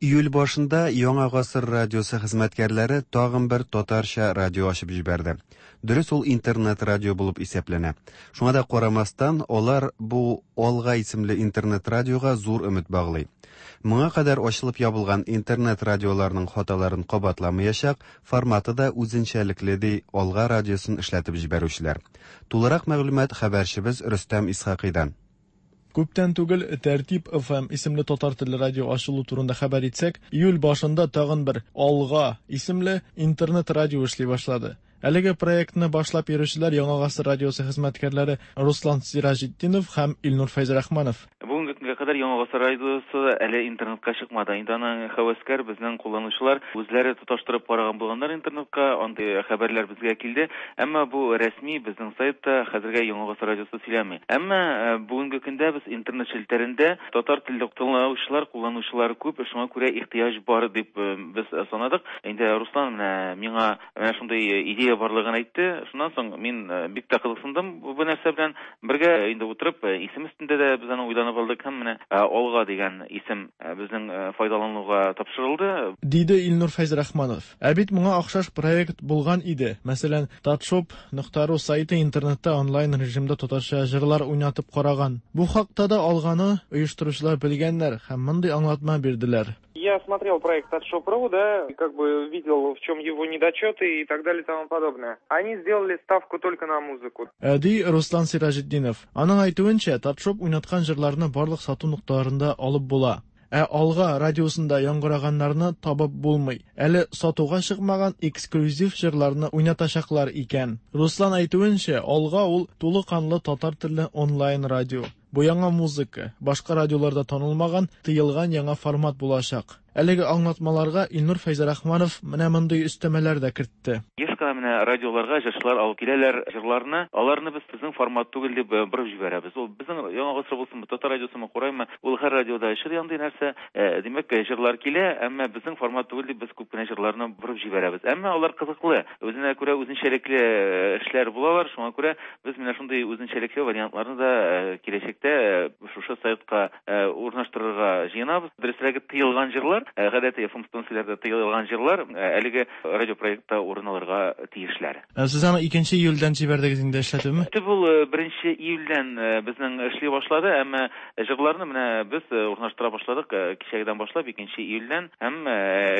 Июль башында Яңа Гасыр радиосы хезмәткәрләре тагын бер татарча радио ачып җибәрде. Дөрес, ул интернет радио булып исәпләнә. Шуңа да карамастан, алар бу Алга исемле интернет радиога зур өмет баглый. Моңа кадәр ачылып ябылган интернет радиоларның хаталарын кабатламаячак, форматы да үзенчәлекле ди Алга радиосын эшләтеп җибәрүчеләр. Тулырак мәгълүмат хәбәрчебез Рөстәм Исхакыйдан. Күптән түгел Тәртип FM исемле татар телле радио ачылу турында хәбәр итсәк, июль башында тагын бер Алга исемле интернет радио эшли башлады. Әлеге проектны башлап йөрүчеләр Яңа Гасыр радиосы хезмәткәрләре Руслан Сираҗетдинов һәм Илнур Фәйзрахманов. Бүгенге көнгә кадәр Яңа гасыр радиосы әле интернетка чыкмады. Инде аның һәвәскәр безнең кулланучылар үзләре тоташтырып караган булганнар интернетка, андый хәбәрләр безгә килде. Әмма бу рәсми безнең сайтта хәзергә Яңа гасыр радиосы сөйләми. Әмма бүгенге көндә без интернет челтәрендә татар телле тыңлаучылар, кулланучылар күп, шуңа күрә ихтыяҗ бар дип без санадык. Инде Руслан менә миңа менә шундый идея барлыгын әйтте. Шуннан соң мин бик тә кызыксындым бу нәрсә белән. Бергә инде утырып, исем өстендә дә без аны уйланып алдык һәм менә Алга дигән исем безнең файдалануга тапшырылды. Диде Илнур Фәйзрахманов. Ә бит моңа охшаш проект булган иде. Мәсәлән, Татшоп нокта ру сайты интернетта онлайн режимда татарча җырлар уйнатып караган. Бу хакта да Алганы оештыручылар белгәннәр һәм мондый аңлатма бирделәр. Я смотрел проект от Shop.ru, да, и как бы видел, в чем его недочеты и так далее и тому подобное. Они сделали ставку только на музыку. Ди Руслан Сираҗетдинов. Аның әйтүенчә, Татшоп уйнаткан җырларны барлык сату нокталарында алып була. Ә Алга радиосында яңгыраганнарны табып булмый. Әле сатуга чыкмаган эксклюзив җырларны уйнатачаклар икән. Руслан әйтүенчә, Алга ул тулы канлы татар телле онлайн радио. Бу яңа музыка, башка радиоларда танылмаган, тыелган яңа формат булачак. Әлеге аңлатмаларга Илнур Фәйзрахманов менә мондый өстәмәләр дә кертте. Еш кына менә радиоларга җырчылар алып киләләр җырларны, аларны без безнең формат түгел дип борып җибәрәбез. Ул безнең Яңа гасыр булсынмы, Татар радиосымы, Кураймы, ул һәр радиода очрый андый нәрсә. Димәк, җырлар килә, әмма безнең формат түгел дип без күп кенә җырларны борып җибәрәбез. Әмма алар кызыклы, үзенә күрә үзенчәлекле эшләр булалар, шуңа күрә Без менә шундый үзенчәлекле вариантларны да киләчәктә шушы сайтка урнаштырырга җыенабыз. Дөресрәге, тыелган җырлар, гадәти FM станцияләрдә тыелган җырлар әлеге радиопроектта урын алырга тиешләр. Сез аны икенче июльдән җибәрдегез инде эшләтүме? Төп ул беренче июльдән безнең эшли башлады, әмма җырларны менә без урнаштыра башладык кичәгедән башлап, икенче июльдән һәм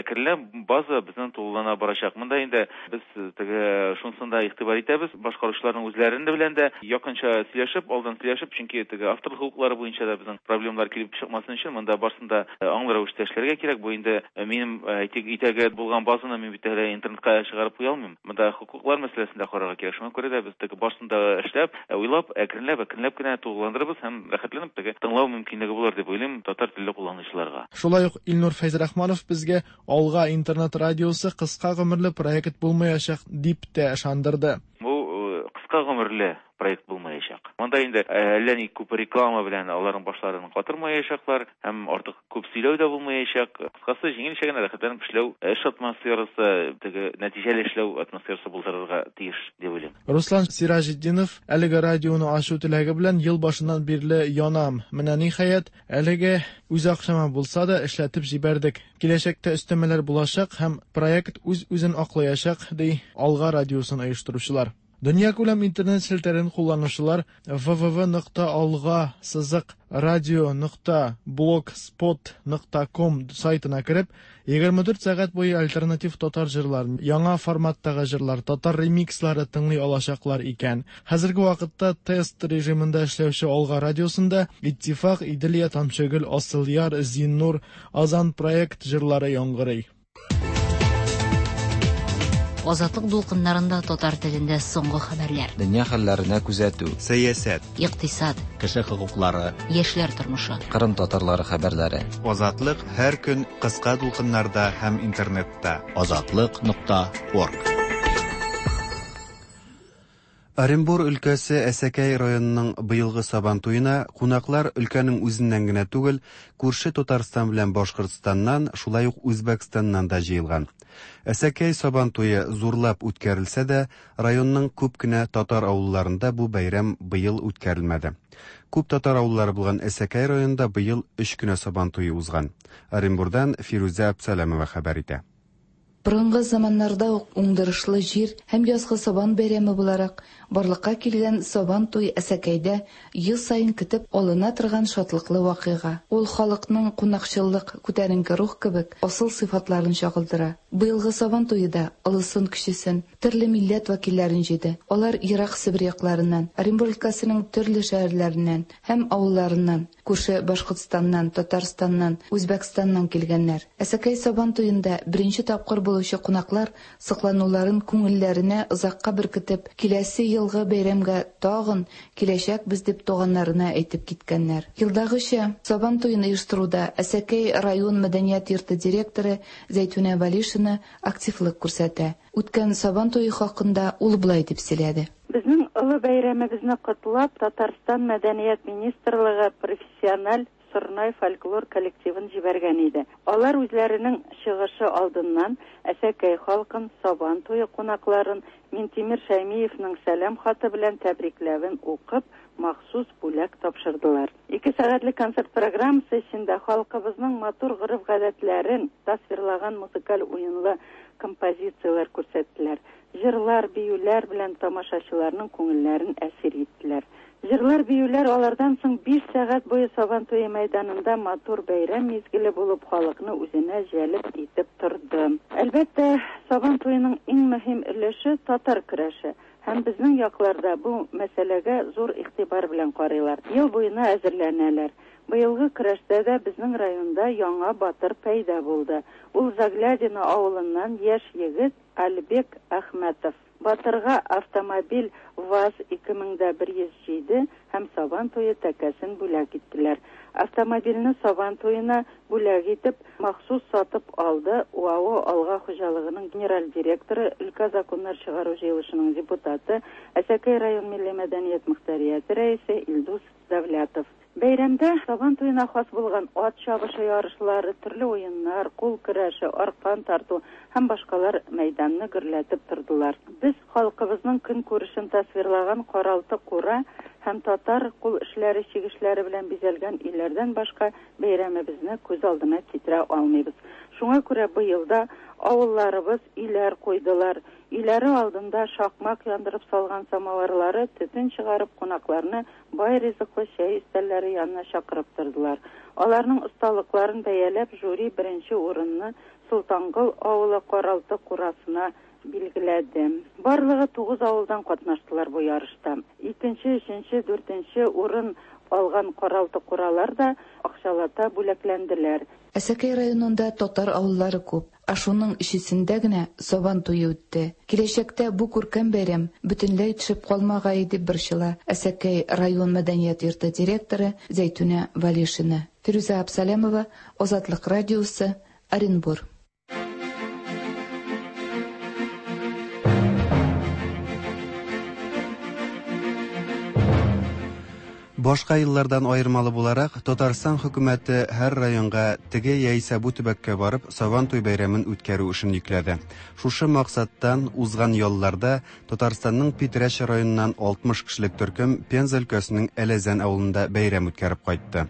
әкренләп база безнең тулылана барачак. Монда инде Без теге шунысын да игътибар итәбез, башкаручыларның үзләрен дә белән дә якынча сөйләшеп, алдан сөйләшеп, чөнки теге авторлык хокуклары буенча да безнең проблемалар килеп чыкмасын өчен монда барысын да аңлы рәвештә эшләргә кирәк. Бу инде минем әйтик, өйдәге булган базаны мин бит әле интернетка чыгарып куя алмыйм. Монда хокуклар мәсьәләсен дә карарга кирәк. Шуңа күрә дә без теге барысын да эшләп, уйлап, әкренләп, әкренләп кенә тулыландырырбыз һәм рәхәтләнеп теге тыңлау мөмкинлеге булыр дип уйлыйм татар телле кулланучыларга. Шулай ук Илнур Фәйзрахманов безгә Алга интернет радиосы кыска гомерле проект булмаячак, дип тә ышандырды. Бу кыска гомерле проект булмаячак. Монда инде әллә ни күп реклама белән аларның башларын катырмаячаклар һәм артык күп сөйләү дә булмаячак. Кыскасы, җиңелчә генә рәхәтләнеп эшләү, эш атмосферасы, теге нәтиҗәле эшләү атмосферасы булдырырга тиеш дип уйлыйм. Руслан Сираҗетдинов әлеге радионы ачу теләге белән ел башыннан бирле янам. Менә ниһаять, Әлегә үз акчама булса да эшләтеп җибәрдек. Киләчәктә өстәмәләр булачак һәм проект үз-үзен аклаячак, ди Алга радиосын оештыручылар. Дөньякүләм интернет челтәрен кулланучылар www нокта алга сызык радио нокта блогспот нокта ком сайтына кереп, 24 сәгать буе альтернатив татар җырларын, яңа форматтагы җырлар, татар ремикслары тыңлый алачаклар икән. Хәзерге вакытта тест режимында эшләүче Алга радиосында Иттифак, Иделия, Тамчыгөл, Асылъяр, Зиннур, Азан проект җырлары яңгырый. Азатлык дулкыннарында татар телендә соңгы хәбәрләр. Дөнья хәлләренә күзәтү. Сәясәт. Икътисад. Кеше хокуклары. Яшьләр тормышы. Кырым татарлары хәбәрләре. Азатлык һәр көн кыска дулкыннарда һәм интернетта. Азатлык нокта орг. Оренбур өлкәсе Әсәкәй районының быелгы Сабан туена кунаклар өлкәнең үзеннән генә түгел, күрше Татарстан белән Башкортстаннан, шулай ук Үзбәкстаннан да җыелган. Әсәкәй Сабан туе зурлап үткәрелсә дә, районның күп кенә татар авылларында бу бәйрәм быел үткәрелмәде. Күп татар авыллары булган Әсәкәй районында быел өч кенә Сабан туе узган. Оренбурдан Фирүзә Абсаләмова хәбәр итә. Борынгы заманнарда ук уңдырышлы җир һәм язгы сабан бәйрәме буларак барлыкка килгән Сабан туй Әсәкәйдә ел саен көтеп алына торган шатлыклы вакыйга. Ул халыкның кунакчыллык, күтәренке рух кебек асыл сыйфатларын чагылдыра. Быелгы Сабан туе да олысын-кечесен, төрле милләт вәкилләрен җыйды. Алар ерак Себер якларыннан, Оренбур өлкәсенең төрле шәһәрләреннән һәм авылларыннан, күрше Башкортстаннан, Татарстаннан, Үзбәкстаннан килгәннәр. Әсәкәй Сабан туенда беренче тапкыр булучы кунаклар соклануларын күңелләренә озакка беркетеп, киләсе ел Быелгы бәйрәмгә тагын киләчәкбез дип туганнарына әйтеп киткәннәр. Елдагыча, Сабан туен оештыруда Әсәкәй район мәдәният йорты директоры Зәйтүнә Вәлишина активлык күрсәтә. Үткән Сабан туе хакында ул болай дип сөйләде. Безнең олы бәйрәмебезне котлап, Татарстан Мәдәният министрлыгы профессиональ Сорнай фольклор коллективын җибәргән иде. Алар үзләренең чыгышы алдыннан Әсәкәй халкын, Сабан туе кунакларын Минтимер Шәймиевның сәлам хаты белән тәбрикләвен укып, махсус бүләк тапшырдылар. Ике сәгатьлек концерт программасы эчендә халкыбызның матур гореф-гадәтләрен тасвирлаган музыкаль уенлы композицияләр күрсәттеләр. Җырлар, биюләр белән тамашачыларның күңелләрен әсир иттеләр. Җырлар, биюләр алардан соң биш сәгать буе Сабан туе мәйданында матур бәйрәм мизгеле булып халыкны үзенә җәлеп итеп торды. Әлбәттә, Сабан туеның иң мөһим өлеше, татар көрәше. Һәм безнең якларда бу мәсьәләгә зур игътибар белән карыйлар, ел буена әзерләнәләр. Быелгы көрәштә дә безнең районда яңа батыр пәйда булды. Ул Заглядино авылыннан яшь егет Альбек Әхмәтов. Батырга автомобиль ваз 2107 һәм Сабан туе тәкәсен бүләк иттеләр. Автомобильне Сабан туена бүләк итеп, махсус сатып алды УАО Алга хуҗалыгының генераль директоры, өлкә Законнар чыгару җыелышының депутаты, Әсәкәй район милли мәдәният мохтарияте рәисе Илдус Давлятов. Бәйрәмдә Сабан туена хас булган ат чабышы ярышлары, төрле уеннар, кул көрәше, аркан тарту һәм башкалар мәйданны гөрләтеп тордылар. Без халкыбызның көнкүрешен тасвирлаган каралты-кура һәм татар кул эшләре чигешләре белән бизәлгән өйләрдән башка бәйрәмебезне күз алдына китерә алмыйбыз. Шуңа күрә быел да авылларыбыз өйләр куйдылар. Өйләре алдында шакмак яндырып салган самоварлары төтен чыгарып кунакларны бай ризыклы чәй өстәлләре янына чакырып тордылар. Аларның осталыкларын бәяләп, жюри беренче урынны Солтангол авылы каралты-курасына билгеләде. Барлыгы тугыз авылдан катнаштылар бу ярышта. Икенче, өченче, дүртенче урын алган каралты-куралар да акчалата бүләкләнделәр. Әсәкәй районында татар авыллары күп. Ә шуның өчесендә генә Сабан туе үтте. Киләчәктә бу күркәм бәйрәм бөтенләй төшеп калмагае дип борчыла Әсәкәй район мәдәният йорты директоры Зәйтүнә Валишина. Фирүзә Абсалямова, Азатлык радиосы, Оренбур. Башка еллардан аермалы буларак, Татарстан хөкүмәте һәр районга теге яисә бу төбәккә барып, Сабантуй бәйрәмен үткәрү эшен йөкләде. Шушы максаттан узган ялларда Татарстанның Питрәч районыннан 60 кешелек төркем Пенза өлкәсенең Әләзән авылында бәйрәм үткәреп кайтты.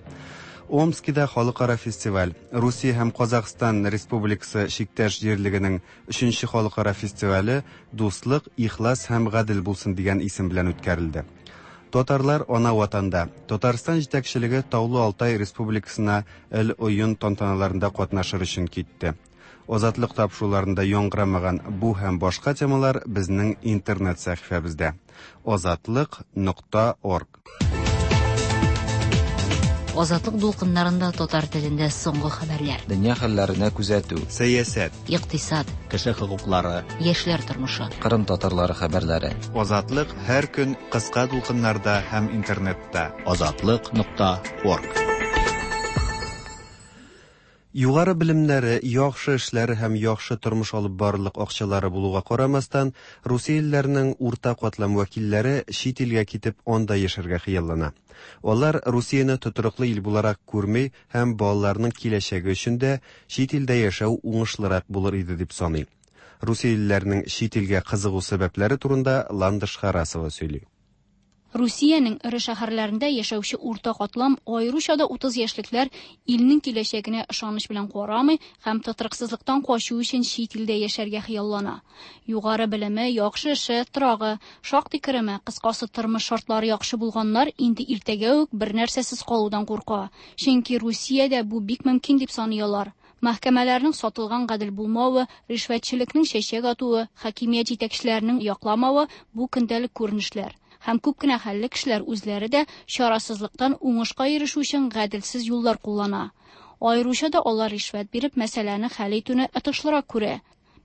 Омскида халыкара фестиваль, Русия һәм Казахстан Республикасы чиктәш җирлегенең өченче халыкара фестивале Дуслык, ихлас һәм гадел булсын дигән исем белән үткәрелде. Татарлар ана ватанда. Татарстан җитәкчелеге Таулы Алтай Республикасына Эл Ойын тантаналарында катнашыр өчен китте. Азатлык тапшыруларында яңгырамаган бу һәм башка темалар безнең интернет сәхифәбездә. Азатлык нокта орг. Азатлык дулкыннарында татар телендә соңгы хәбәрләр. Дөнья хәлләренә күзәтү. Сәясәт. Икътисад. Кеше хокуклары. Яшьләр тормышы. Кырым татарлары хәбәрләре. Азатлык һәр көн кыска дулкыннарда һәм интернетта. Азатлык нокта орг. Югары белемнәре, яхшы эшләре һәм яхшы тормыш алып барырлык акчалары булуга карамастан, русиялеләрнең урта катлам вәкилләре чит илгә китеп анда яшәргә хыяллана. Алар Русияне тотрыклы ил буларак күрми һәм балаларының киләчәге өчен дә чит илдә яшәү уңышлырак булыр иде дип саный. Русиялеләрнең чит илгә кызыгу сәбәпләре турында Ландыш Харасова сөйли. Русиянең эре шәһәрләрендә яшәүче урта катлам, аеруча да 30 яшьлекләр илнең киләчәгенә ышаныч белән карамый һәм тотрыксызлыктан качу өчен чит илдә яшәргә хыяллана. Югары белеме, яхшы эше, торагы, шактый кереме, кыскасы тормыш шартлары яхшы булганнар инде иртәгә үк бернәрсәсез калудан курка. Чөнки Русиядә бу бик мөмкин дип саный алар. Мәхкәмәләрнең сатылган гадел булмавы, ришвәтчелекнең чәчәк атуы, хакимият җитәкчеләренең якламавы бу көндәлек күренешләр. Һәм күп кенә хәлле кешеләр үзләре дә чарасызлыктан уңышка ирешү өчен гаделсез юллар куллана. Аеруча да алар ришвәт биреп мәсьәләне хәл итүне отышлырак күрә.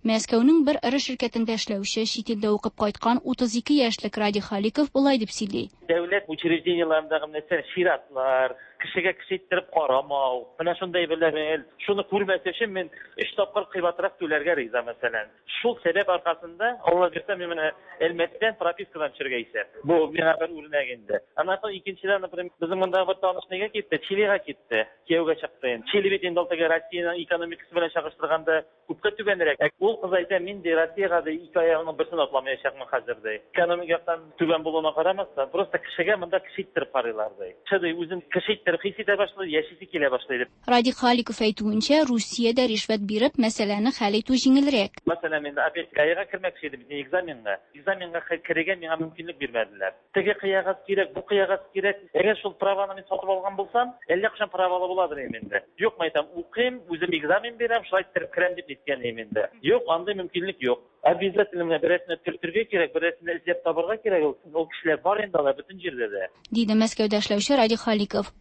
Мәскәүнең бер эре ширкәтендә эшләүче, чит илдә укып кайткан 32 яшьлек Радий Халиков болай дип сөйли. Дәүләт учреждениеләрендәге мәсәлән, чиратлар, кешегә кеше иттереп карамау, менә шундый әйберләр. Шуны күрмәс өчен мин өч тапкыр кыйбатрак түләргә риза, мәсәлән. Шул сәбәп аркасында, Алла бирсә, мин менә Әлмәттән пропискадан төшәргә исәп. Бу миңа бер үрнәк инде. Аннан соң икенчедән, например, безнең мондагы бер таныш нигә китте? Чилига китте. Кияүгә чыкты инде. Чили бит инде ул теге Россиянең экономикасы белән чагыштырганда күпкә түбәнрәк. Ә ул кыз әйтә, мин ди Россиягә ди ике аягымның берсен атламаячакмын хәзер ди. Экономик яктан түбән булуына карамастан, просто кешегә монда кеше иттереп карыйлар ди. Кеше ди үзен кеше иттереп хис итә башлый, яшисе килә башлый дип. Радик Халиков әйтүенчә, Русиядә ришвәт биреп, мәсьәләне хәл итү җиңелрәк. Мәсәлән, мин опять ГАИга кермәкче идем, экзаменга. Экзаменга керергә миңа мөмкинлек бирмәделәр. Теге кыягаз кирәк, бу кыягаз кирәк. Әгәр шул праваны мин сатып алган булсам, әллә кайчан правалы буладыр идем инде. Юк, мин әйтәм, укыйм, үзем экзамен бирәм, шулай иттереп керәм дип әйткән идем инде. Юк, андый мөмкинлек юк. Обязательно менә берәрсенә төртергә кирәк, берәрсенә эзләп табарга кирәк ул. Ул кешеләр бар инде алар бөтен җирдә дә. Диде Мәскәүдә эшләүче Радий Халиков.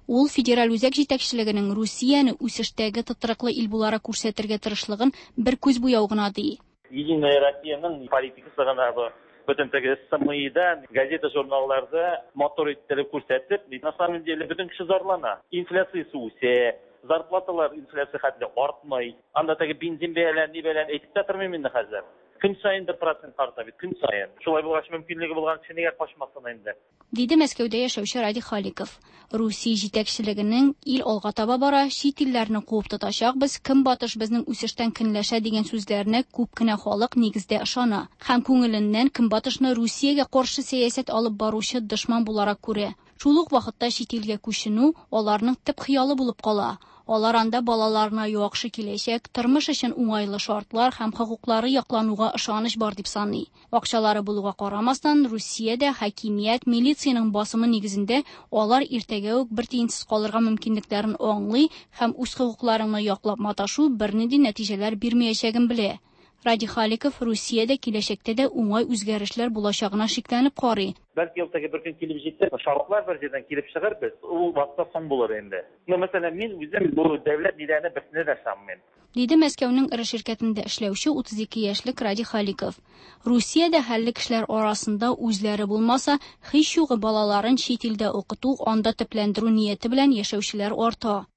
Ул федераль үзәк җитәкчелегенең Русияне үсештәге тотрыклы ил буларак күрсәтергә тырышлыгын бер күз буяу гына ди. Единая Россиянең политикасы гына бу. Бөтен теге СМИда, газета-журналларда матур иттереп күрсәтеп, на самом деле бөтен кеше зарлана. Инфляциясе үсә, зарплаталар инфляция хәтле артмый. Анда теге бензин бәяләрен, ни бәяләрен әйтеп тә тормыйм инде хәзер. Көн саен бер процент арта бит, көн саен. Шулай булгач, мөмкинлеге булган кеше нигә качмасын инде? Диде Мәскәүдә яшәүче Радий Халиков. Русия җитәкчелегенең ил алга таба бара, чит илләрне куып тотачакбыз, Көнбатыш безнең үсештән көнләшә дигән сүзләренә күп кенә халык нигездә ышана һәм күңеленнән Көнбатышны Русиягә каршы сәясәт алып баручы дошман буларак күрә. Шул ук вакытта чит илгә күченү аларның төп хыялы булып кала. Алар анда балаларына яхшы киләчәк, тормыш өчен уңайлы шартлар һәм хокуклары яклануга ышаныч бар дип саный. Акчалары булуга карамастан, Русиядә хакимият, милициянең басымы нигезендә алар иртәгә үк бер тиенсез калырга мөмкинлекләрен аңлый һәм үз хокукларыңны яклап маташу бернинди нәтиҗәләр бирмәячәген белә. Радий Халиков Русиядә киләчәктә дә уңай үзгәрешләр булачагына шикләнеп карый. Бәлки ул теге бер көн килеп җитәр, шартлар бер җирдән килеп чыгыр, без ул вакытта соң булыр инде. Ну, мәсәлән, мин үзем бу дәүләт ниләренә берсенә дә ышанмыйм. Диде Мәскәүнең эре ширкәтендә эшләүче 32 яшьлек Радий Халиков. Русиядә хәлле кешеләр арасында үзләре булмаса, һич югы балаларын чит илдә укыту, анда төпләндерү нияте белән яшәүчеләр арта.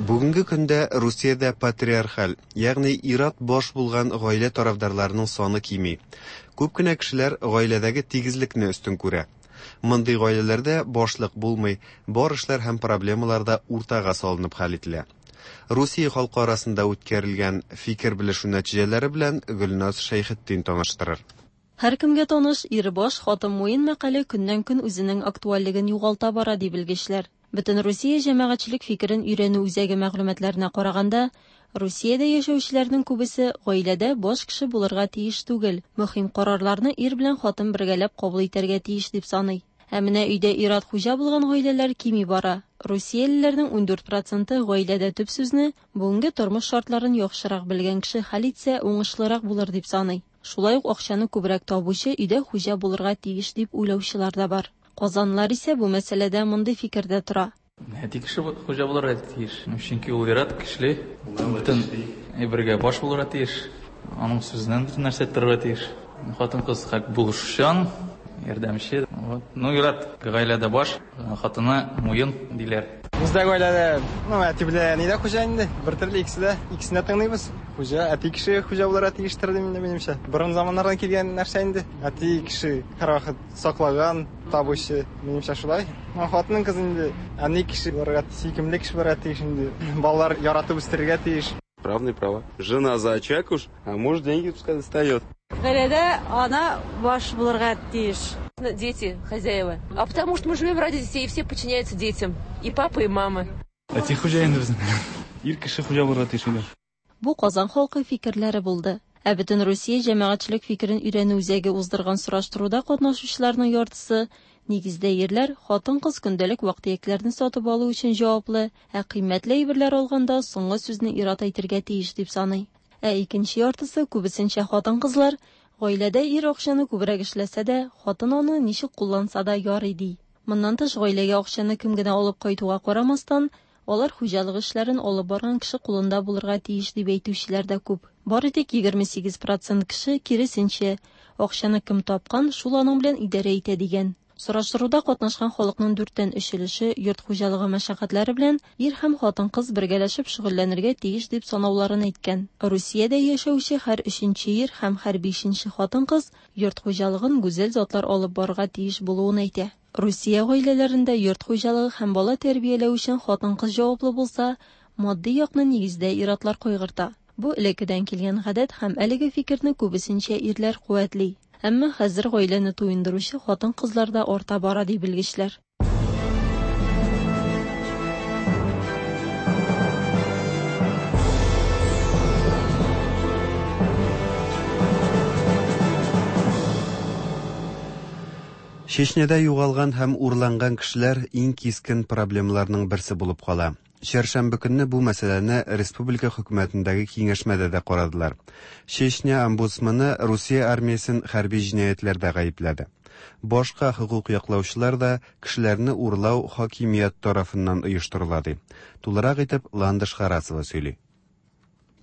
Бүгенге көндә Русиядә патриархаль, ягъни ир-ат баш булган гаилә тарафдарларының саны кими. Күп кенә кешеләр гаиләдәге тигезлекне өстен күрә. Мондый гаиләләрдә башлык булмый, бар эшләр һәм проблемалар да уртага салынып хәл ителә. Русия халкы арасында үткәрелгән фикер белешү нәтиҗәләре белән Гөлназ Шәйхетдин таныштырыр. Һәркемгә таныш Ир баш, хатын муен мәкале көннән-көн үзенең актуальлеген югалта бара, ди белгечләр. Бөтенрусия җәмәгатьчелек фикерен өйрәнү үзәге мәгълүматларына караганда, Русиядә яшәүчеләрнең күбесе гаиләдә баш кеше булырга тиеш түгел, мөһим карарларны ир белән хатын бергәләп кабул итәргә тиеш дип саный. Ә менә өйдә ир-ат хуҗа булган гаиләләр кими бара. Русиялеләрнең 14 проценты гаиләдә төп сүзне бүгенге тормыш шартларын яхшырак белгән кеше хәл итсә, уңышлырак булыр дип саный. Шулай ук акчаны күбрәк табучы өйдә хуҗа булырга тиеш дип уйлаучылар да бар. Казанлылар исә бу мәсьәләдә мондый фикердә тора. Әти кеше хуҗа булырга тиеш. Чөнки ул ир-ат көчле, бөтен әйбергә баш булырга тиеш. Аның сүзеннән бөтен нәрсә торырга тиеш. Хатын-кыз как булышучан, ярдәмче. Вот. Ну, ир-ат гаиләдә баш, хатыны муен диләр. Бездә гаиләдә, ну, әти белән әни дә хуҗа инде. Бер төрле икесе дә, икесен дә тыңлыйбыз. Хуҗа, әти кеше хуҗа булырга тиештер дим инде минемчә. Борын заманнардан килгән нәрсә инде. Әти кеше һәрвакыт саклаган, табучы, минемчә шулай. Ну, хатын кыз инде әни кеше булырга, сөйкемле кеше булырга тиеш инде. Балалар яратып үстерергә тиеш. Равные права. Жена за очаг уж, а муж деньги пускай достает. Гаиләдә ана баш булырга тиеш. Дети, хозяева. А потому что мы живем ради детей, и все подчиняются детям. И папа, и мама. Әти хуҗа инде безнең. Ир кеше хуҗа булырга тиеш өйдә. Бу Казан халкы фикерләре булды. Ә Бөтенрусия җәмәгатьчелек фикерен өйрәнү үзәге уздырган сораштыруда катнашучыларның яртысы, нигездә ирләр, хатын-кыз көндәлек вак-төякләрне сатып алу өчен җаваплы, ә кыйммәтле әйберләр алганда соңгы сүзне ир-ат әйтергә тиеш дип саный. Ә икенче яртысы, күбесенчә хатын-кызлар, Гаиләдә ир акчаны күбрәк эшләсә дә, хатын аны ничек кулланса да ярый, ди. Моннан тыш, гаиләгә акчаны кем генә алып кайтуга карамастан, алар хуҗалык эшләрен алып барган кеше кулында булырга тиеш дип әйтүчеләр дә күп. Бары тик 28 процент кеше, киресенчә, акчаны кем тапкан, шул аның белән идарә итә дигән. Сораштыруда катнашкан халыкның дүрттән өч өлеше йорт хуҗалыгы мәшәкатьләре белән ир һәм хатын-кыз бергәләшеп шөгыльләнергә тиеш дип санауларын әйткән. Русиядә яшәүче һәр өченче ир һәм һәр бишенче хатын-кыз йорт хуҗалыгын гүзәл затлар алып барырга тиеш булуын әйтә. Русия гаиләләрендә йорт хуҗалыгы һәм бала тәрбияләү өчен хатын-кыз җаваплы булса, матди якны нигездә ир-атлар кайгырта. Бу элеккедән килгән гадәт һәм әлеге фикерне күбесенчә ирләр куәтли. Әмма хәзер гаиләне туендыручы хатын-кызлар да арта бара, ди белгечләр. Чечняда югалган һәм урланган кешеләр иң кискен проблемаларның берсе булып кала. Чәршәмбе көнне бу мәсьәләне республика хөкүмәтендәге киңәшмәдә дә карадылар. Чечня омбудсмены Русия армиясен хәрби җинаятьләрдә гаепләде. Башка хокук яклаучылар да кешеләрне урлау хакимият тарафыннан оештырыла ди. Тулырак итеп Ландыш Харасова сөйли.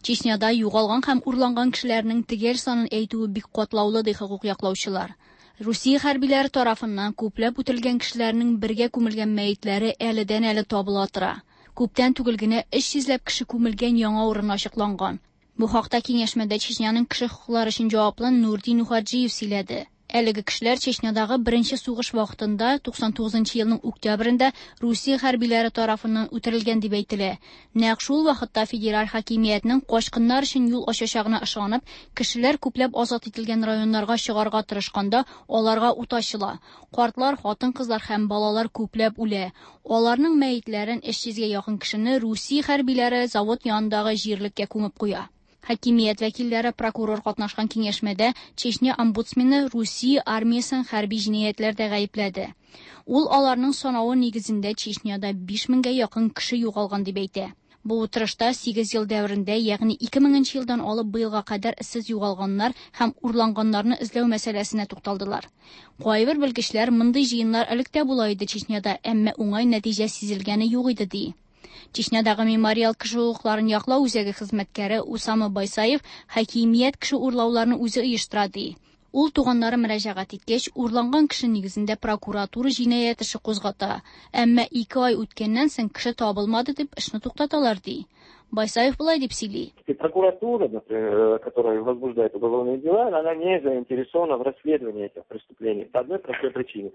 Чечняда югалган һәм урланган кешеләрнең төгәл санын әйтүе бик катлаулы, ди хокук яклаучылар. Русия хәрбиләре тарафыннан күпләп үтерелгән кешеләрнең бергә күмелгән мәетләре әледән-әле табыла тора. Күптән түгел генә 300 ләп кеше күмелгән яңа урын ачыкланган. Бу хакта киңәшмәдә Чечняның кеше хокуклары өчен җаваплы Нурди Нухаджиев сөйләде. Әлеге кешеләр Чечнядагы беренче сугыш вакытында 99 нчы елның октябрендә Русия хәрбиләре тарафыннан үтерелгән дип әйтелә. Нәкъ шул вакытта федераль хакимиятнең качкыннар өчен юл ачачагына ышанып, кешеләр күпләп азат ителгән районнарга чыгарга тырышканда аларга ут ачыла. Картлар, хатын-кызлар һәм балалар күпләп үлә. Аларның мәетләрен 300 гә якын кешене Русия хәрбиләре завод янындагы җирлеккә күмеп куя. Хакимият вәкилләре, прокурор катнашкан киңәшмәдә Чечня омбудсмены Русия армиясен хәрби җинаятьләрдә гаепләде. Ул аларның санавы нигезендә Чечняда 5 меңгә якын кеше югалган дип әйтә. Бу утырышта сигез ел дәверендә, ягъни 2000 нче елдан алып быелга кадәр эзсез югалганнар һәм урланганнарны эзләү мәсьәләсенә тукталдылар. Кайбер белгечләр мондый җыеннар элек тә була иде Чечняда, әмма уңай нәтиҗә сизелгәне юк иде ди. Чечнядагы Мемориал кеше хокукларын яклау үзәге хезмәткәре Усама Байсаев хакимият кеше урлауларны үзе оештыра ди. Ул туганнары мөрәҗәгать иткәч, урланган кеше нигезендә прокуратура җинаять эше кузгата. Әмма ике ай үткәннән соң кеше табылмады дип эшне туктаталар ди. Байсаев болай дип сөйли. И прокуратура, например, которая возбуждает уголовные дела, она не заинтересована в расследовании этих преступлений по одной простой причине.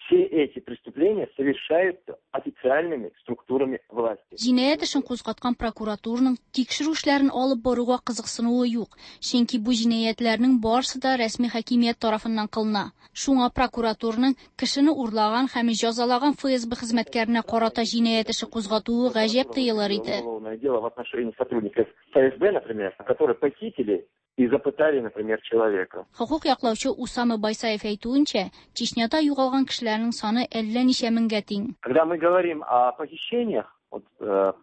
Все эти преступления совершаются официальными структурами власти. Җинаять эшен кузгаткан прокуратураның тикшерү эшләрен алып баруга кызыксынуы юк, чөнки бу җинаятьләрнең барысы да рәсми хакимият тарафыннан кылына. Шуңа прокуратураның кешене урлаган һәм җәзалаган ФСБ хезмәткәренә карата җинаять эше кузгатуы гаҗәп тоелыр иде. Уголовное дело в отношении сотрудников ФСБ, например, которые похитили и запытали, например, человека. Хокук яклаучы Усама Байсаев әйтүенчә, Чечняда югалган кешеләрнең саны әллә ничә меңгә тиң. Когда мы говорим о похищениях, вот,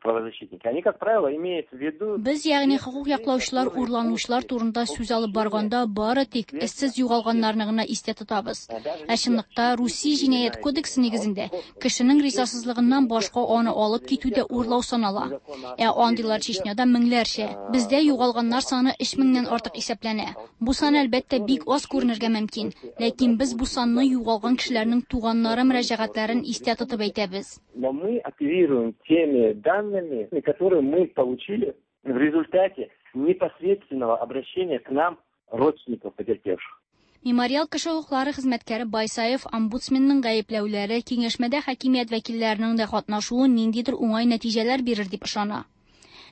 правозащитники, они, как правило, имеют в виду... Без, ягъни хокук яклаучылар урланучылар турында сүз алып барганда бары тик эзсез югалганнарны гына истә тотабыз. Ә чынлыкта Русия җинаять кодексы нигезендә кешенең ризасызлыгыннан башка аны алып китү дә урлау санала. Ә андыйлар Чечняда меңләрчә. Бездә югалганнар саны 3 меңнән артык исәпләнә. Бу сан әлбәттә бик аз күренергә мөмкин, ләкин без бу санны югалган кешеләрнең туганнары мөрәҗәгатьләрен истә тотып әйтәбез. Но мы оперируем теми данными, которые мы получили в результате непосредственного обращения к нам родственников потерпевших. Мемориал кеше хокуклары хезмәткәре Байсаев омбудсменның гаепләүләре киңәшмәдә хакимият вәкилләренең дә катнашуы ниндидер уңай нәтиҗәләр бирер дип ышана.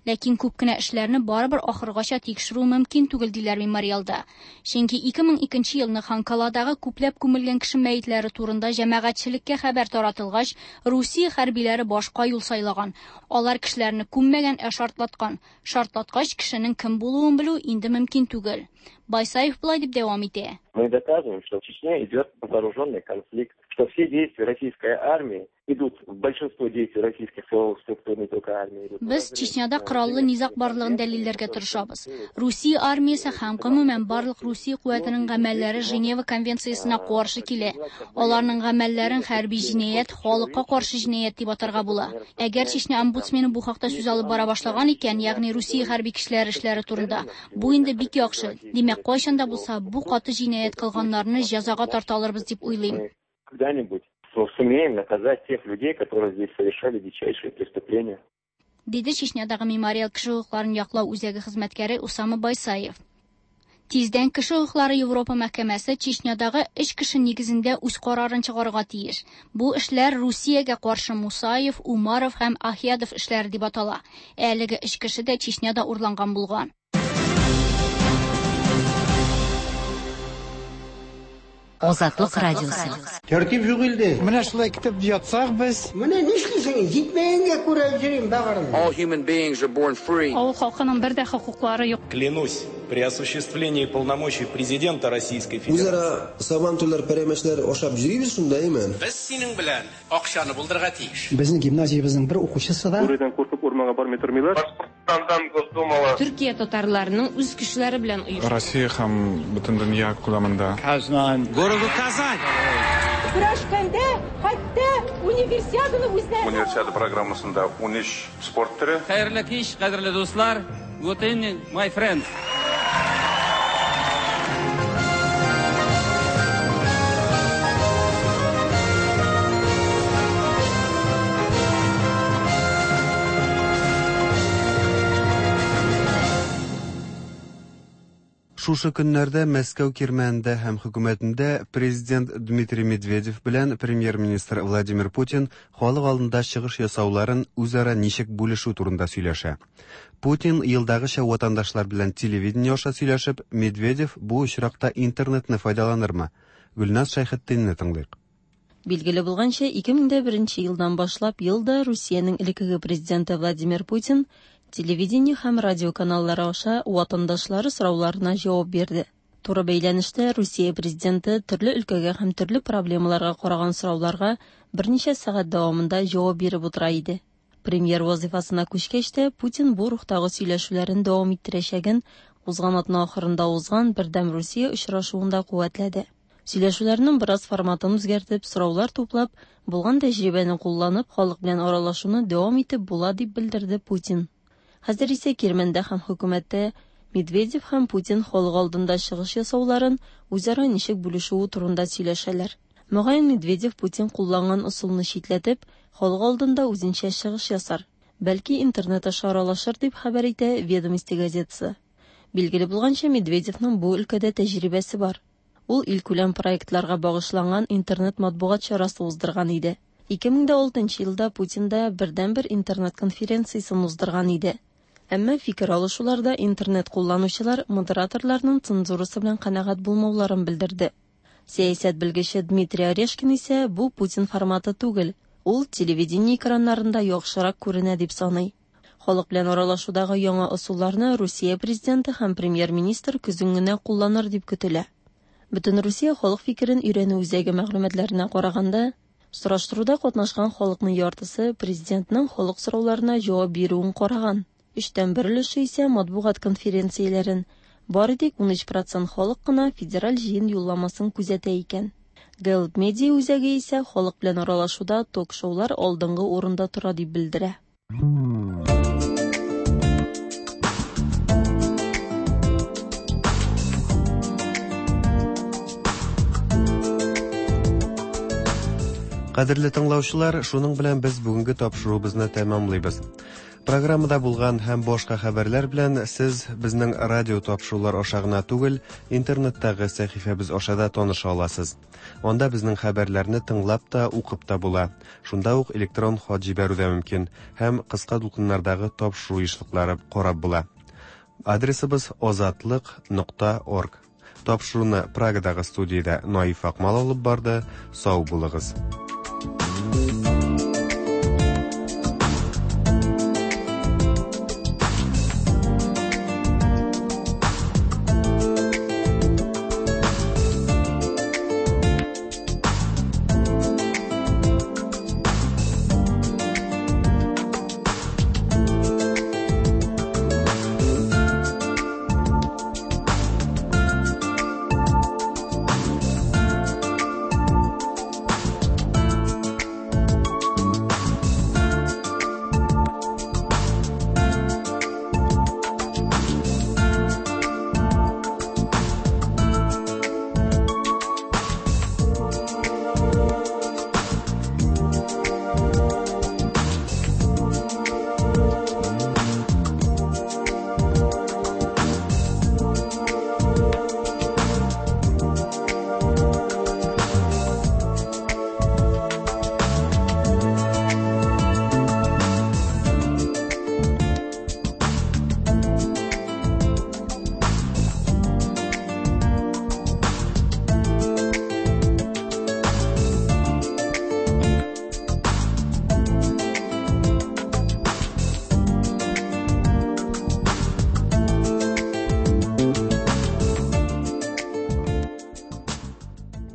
Ләкин күп кенә эшләрне барыбер ахыргача тикшерү мөмкин түгел диләр мемориалда. Чөнки 2002 елны Ханкаладагы күпләп күмелгән кеше мәетләре турында җәмәгатьчелеккә хәбәр таратылгач, Русия хәрбиләре башка юл сайлаган. Алар кешеләрне күммәгән, ә шартлаткан. Шартлаткач, кешенең кем булуын белү инде мөмкин түгел. Байсаев болай дип дәвам итә. Мы доказываем, что в Чечне идет вооруженный конфликт, что все действия российской армии идут, большинство действий российских силовых структур, не только армии. Идут. Без Чечняда кораллы низаг барлыгын дәлилләргә тырышабыз. Русия армиясе һәм гомумән барлык Русия куәтенең гамәлләре Женева конвенциясенә каршы килә. Аларның гамәлләрен хәрби җинаять, халыкка каршы җинаять дип атарга була. Әгәр Чечня омбудсмены бу хакта сүз алып бара башлаган икән, ягъни Русия хәрби көчләре эшләре турында, бу инде бик яхшы. Димәк, кайчан да булса бу каты җинаять кылганнарны җәзага тарта алырбыз дип уйлыйм. Когда-нибудь сумеем наказать тех людей, которые здесь совершали дичайшие преступления. Диде Чечнядагы Мемориал кеше хокукларын яклау үзәге хезмәткәре Усама Байсаев. Тиздән Кеше хокуклары Европа мәхкәмәсе Чечнядагы өч кеше нигезендә үз карарын чыгарырга тиеш. Бу эшләр Русиягә каршы Мусаев, Умаров һәм Ахиядов эшләре дип атала. Әлеге өч кеше дә Чечняда урланган булган. Азатлык радиосы. Тәртип юк илдә. Менә шулай көтеп ятсак без. Менә нишлисең, җитмәгәнгә күрә йөрим бәгырем. All human beings are born free. Авыл халкының бер дә хокуклары юк. Клянусь, при осуществлении полномочий президента Российской Федерации. Үзара сабантуйлар, пәрәмәчләр ашап йөрибез шунда, әйме? Без синең белән акчаны булдырырга тиеш. Безнең гимназиябезнең бер укучысы да. Бүредән куркып урманга бармый тормыйлар. Башкортстандан Госдумала. Төркия татарларының үз көчләре белән оешты. Россия һәм бөтен дөнья күләмендә. Казан. Городу Казань. Көрәшкәндә хәтта универсиаданы үзләре. Универсиада программасында 13 спорт төре. Хәерле кич, кадерле дуслар. Good evening, my friends. Шушы көннәрдә Мәскәү кирмәнендә һәм хөкүмәтендә президент Дмитрий Медведев белән премьер-министр Владимир Путин халык алдында чыгыш ясауларын үзара ничек бүлешү турында сөйләшә. Путин елдагыча ватандашлар белән телевидение аша сөйләшеп, Медведев бу очракта интернетны файдаланырмы? Гөлназ Шәйхетдинне тыңлыйк. Билгеле булганча, 2001 елдан башлап ел да Русиянең элеккеге президенты Владимир Путин телевидение һәм радио каналлары аша ватандашлары сорауларына җавап бирде. Туры бәйләнештә Русия президенты төрле өлкәгә һәм төрле проблемаларга караган сорауларга берничә сәгать дәвамында җавап биреп утыра иде. Премьер вазифасына күчкәч тә Путин бу рухтагы сөйләшүләрен дәвам иттерәчәген узган атна ахырында узган Бердәм Русия очрашуында куәтләде. Сөйләшүләрнең бераз форматын үзгәртеп, сораулар туплап, булган тәҗрибәне кулланып, халык белән аралашуны дәвам итеп була дип белдерде Путин. Хәзер исә Кирмәндә һәм хөкүмәттә Медведев һәм Путин халык алдында чыгыш ясауларын үзара ничек бүлешүе турында сөйләшәләр. Мөгаен Медведев Путин кулланган ысулны читләтеп, халык алдында үзенчә чыгыш ясар. Бәлки интернет аша аралашыр дип хәбәр итә Ведомости газетасы. Билгеле булганча, Медведевның бу өлкәдә тәҗрибәсе бар. Ул илкүләм проектларга багышланган интернет матбугат чарасы уздырган иде. 2006 елда Путин да бердәнбер интернет конференциясен уздырган иде. Әмма фикер алышуларда интернет кулланучылар модераторларның цензурасы белән канәгать булмауларын белдерде. Сәясәт белгече Дмитрий Орешкин исә бу Путин форматы түгел, ул телевидение экраннарында яхшырак күренә дип саный. Халык белән аралашудагы яңа ысулларны Русия президенты һәм премьер-министр көзен генә кулланыр дип көтелә. Бөтенрусия халык фикерен өйрәнү үзәге мәгълүматларына караганда, сораштыруда катнашкан халыкның яртысы президентның халык сорауларына җавап бирүен караган. Өчтән бер өлеше исә матбугат конференцияләрен, бары тик 13% халык кына федераль җыен юлламасын күзәтә икән. Гэллап медиа үзәге исә халык белән аралашуда ток-шоулар алдынгы урында тора дип белдерә. Кадерле тыңлаучылар, шуның белән без бүгенге тапшыруыбызны тәмамлыйбыз. Программада булган һәм башка хәбәрләр белән сез безнең радио тапшырулар аша гына түгел, интернеттагы сәхифәбез аша да таныша аласыз. Анда безнең хәбәрләрне тыңлап та, укып та була. Шунда ук электрон хат җибәрү дә мөмкин һәм кыска дулкыннардагы тапшыру ешлыклары карап була. Адресыбыз озатлык.орг. Тапшыруны Прагадагы студиядә Наиф Акмал алып барды. Сау булыгыз.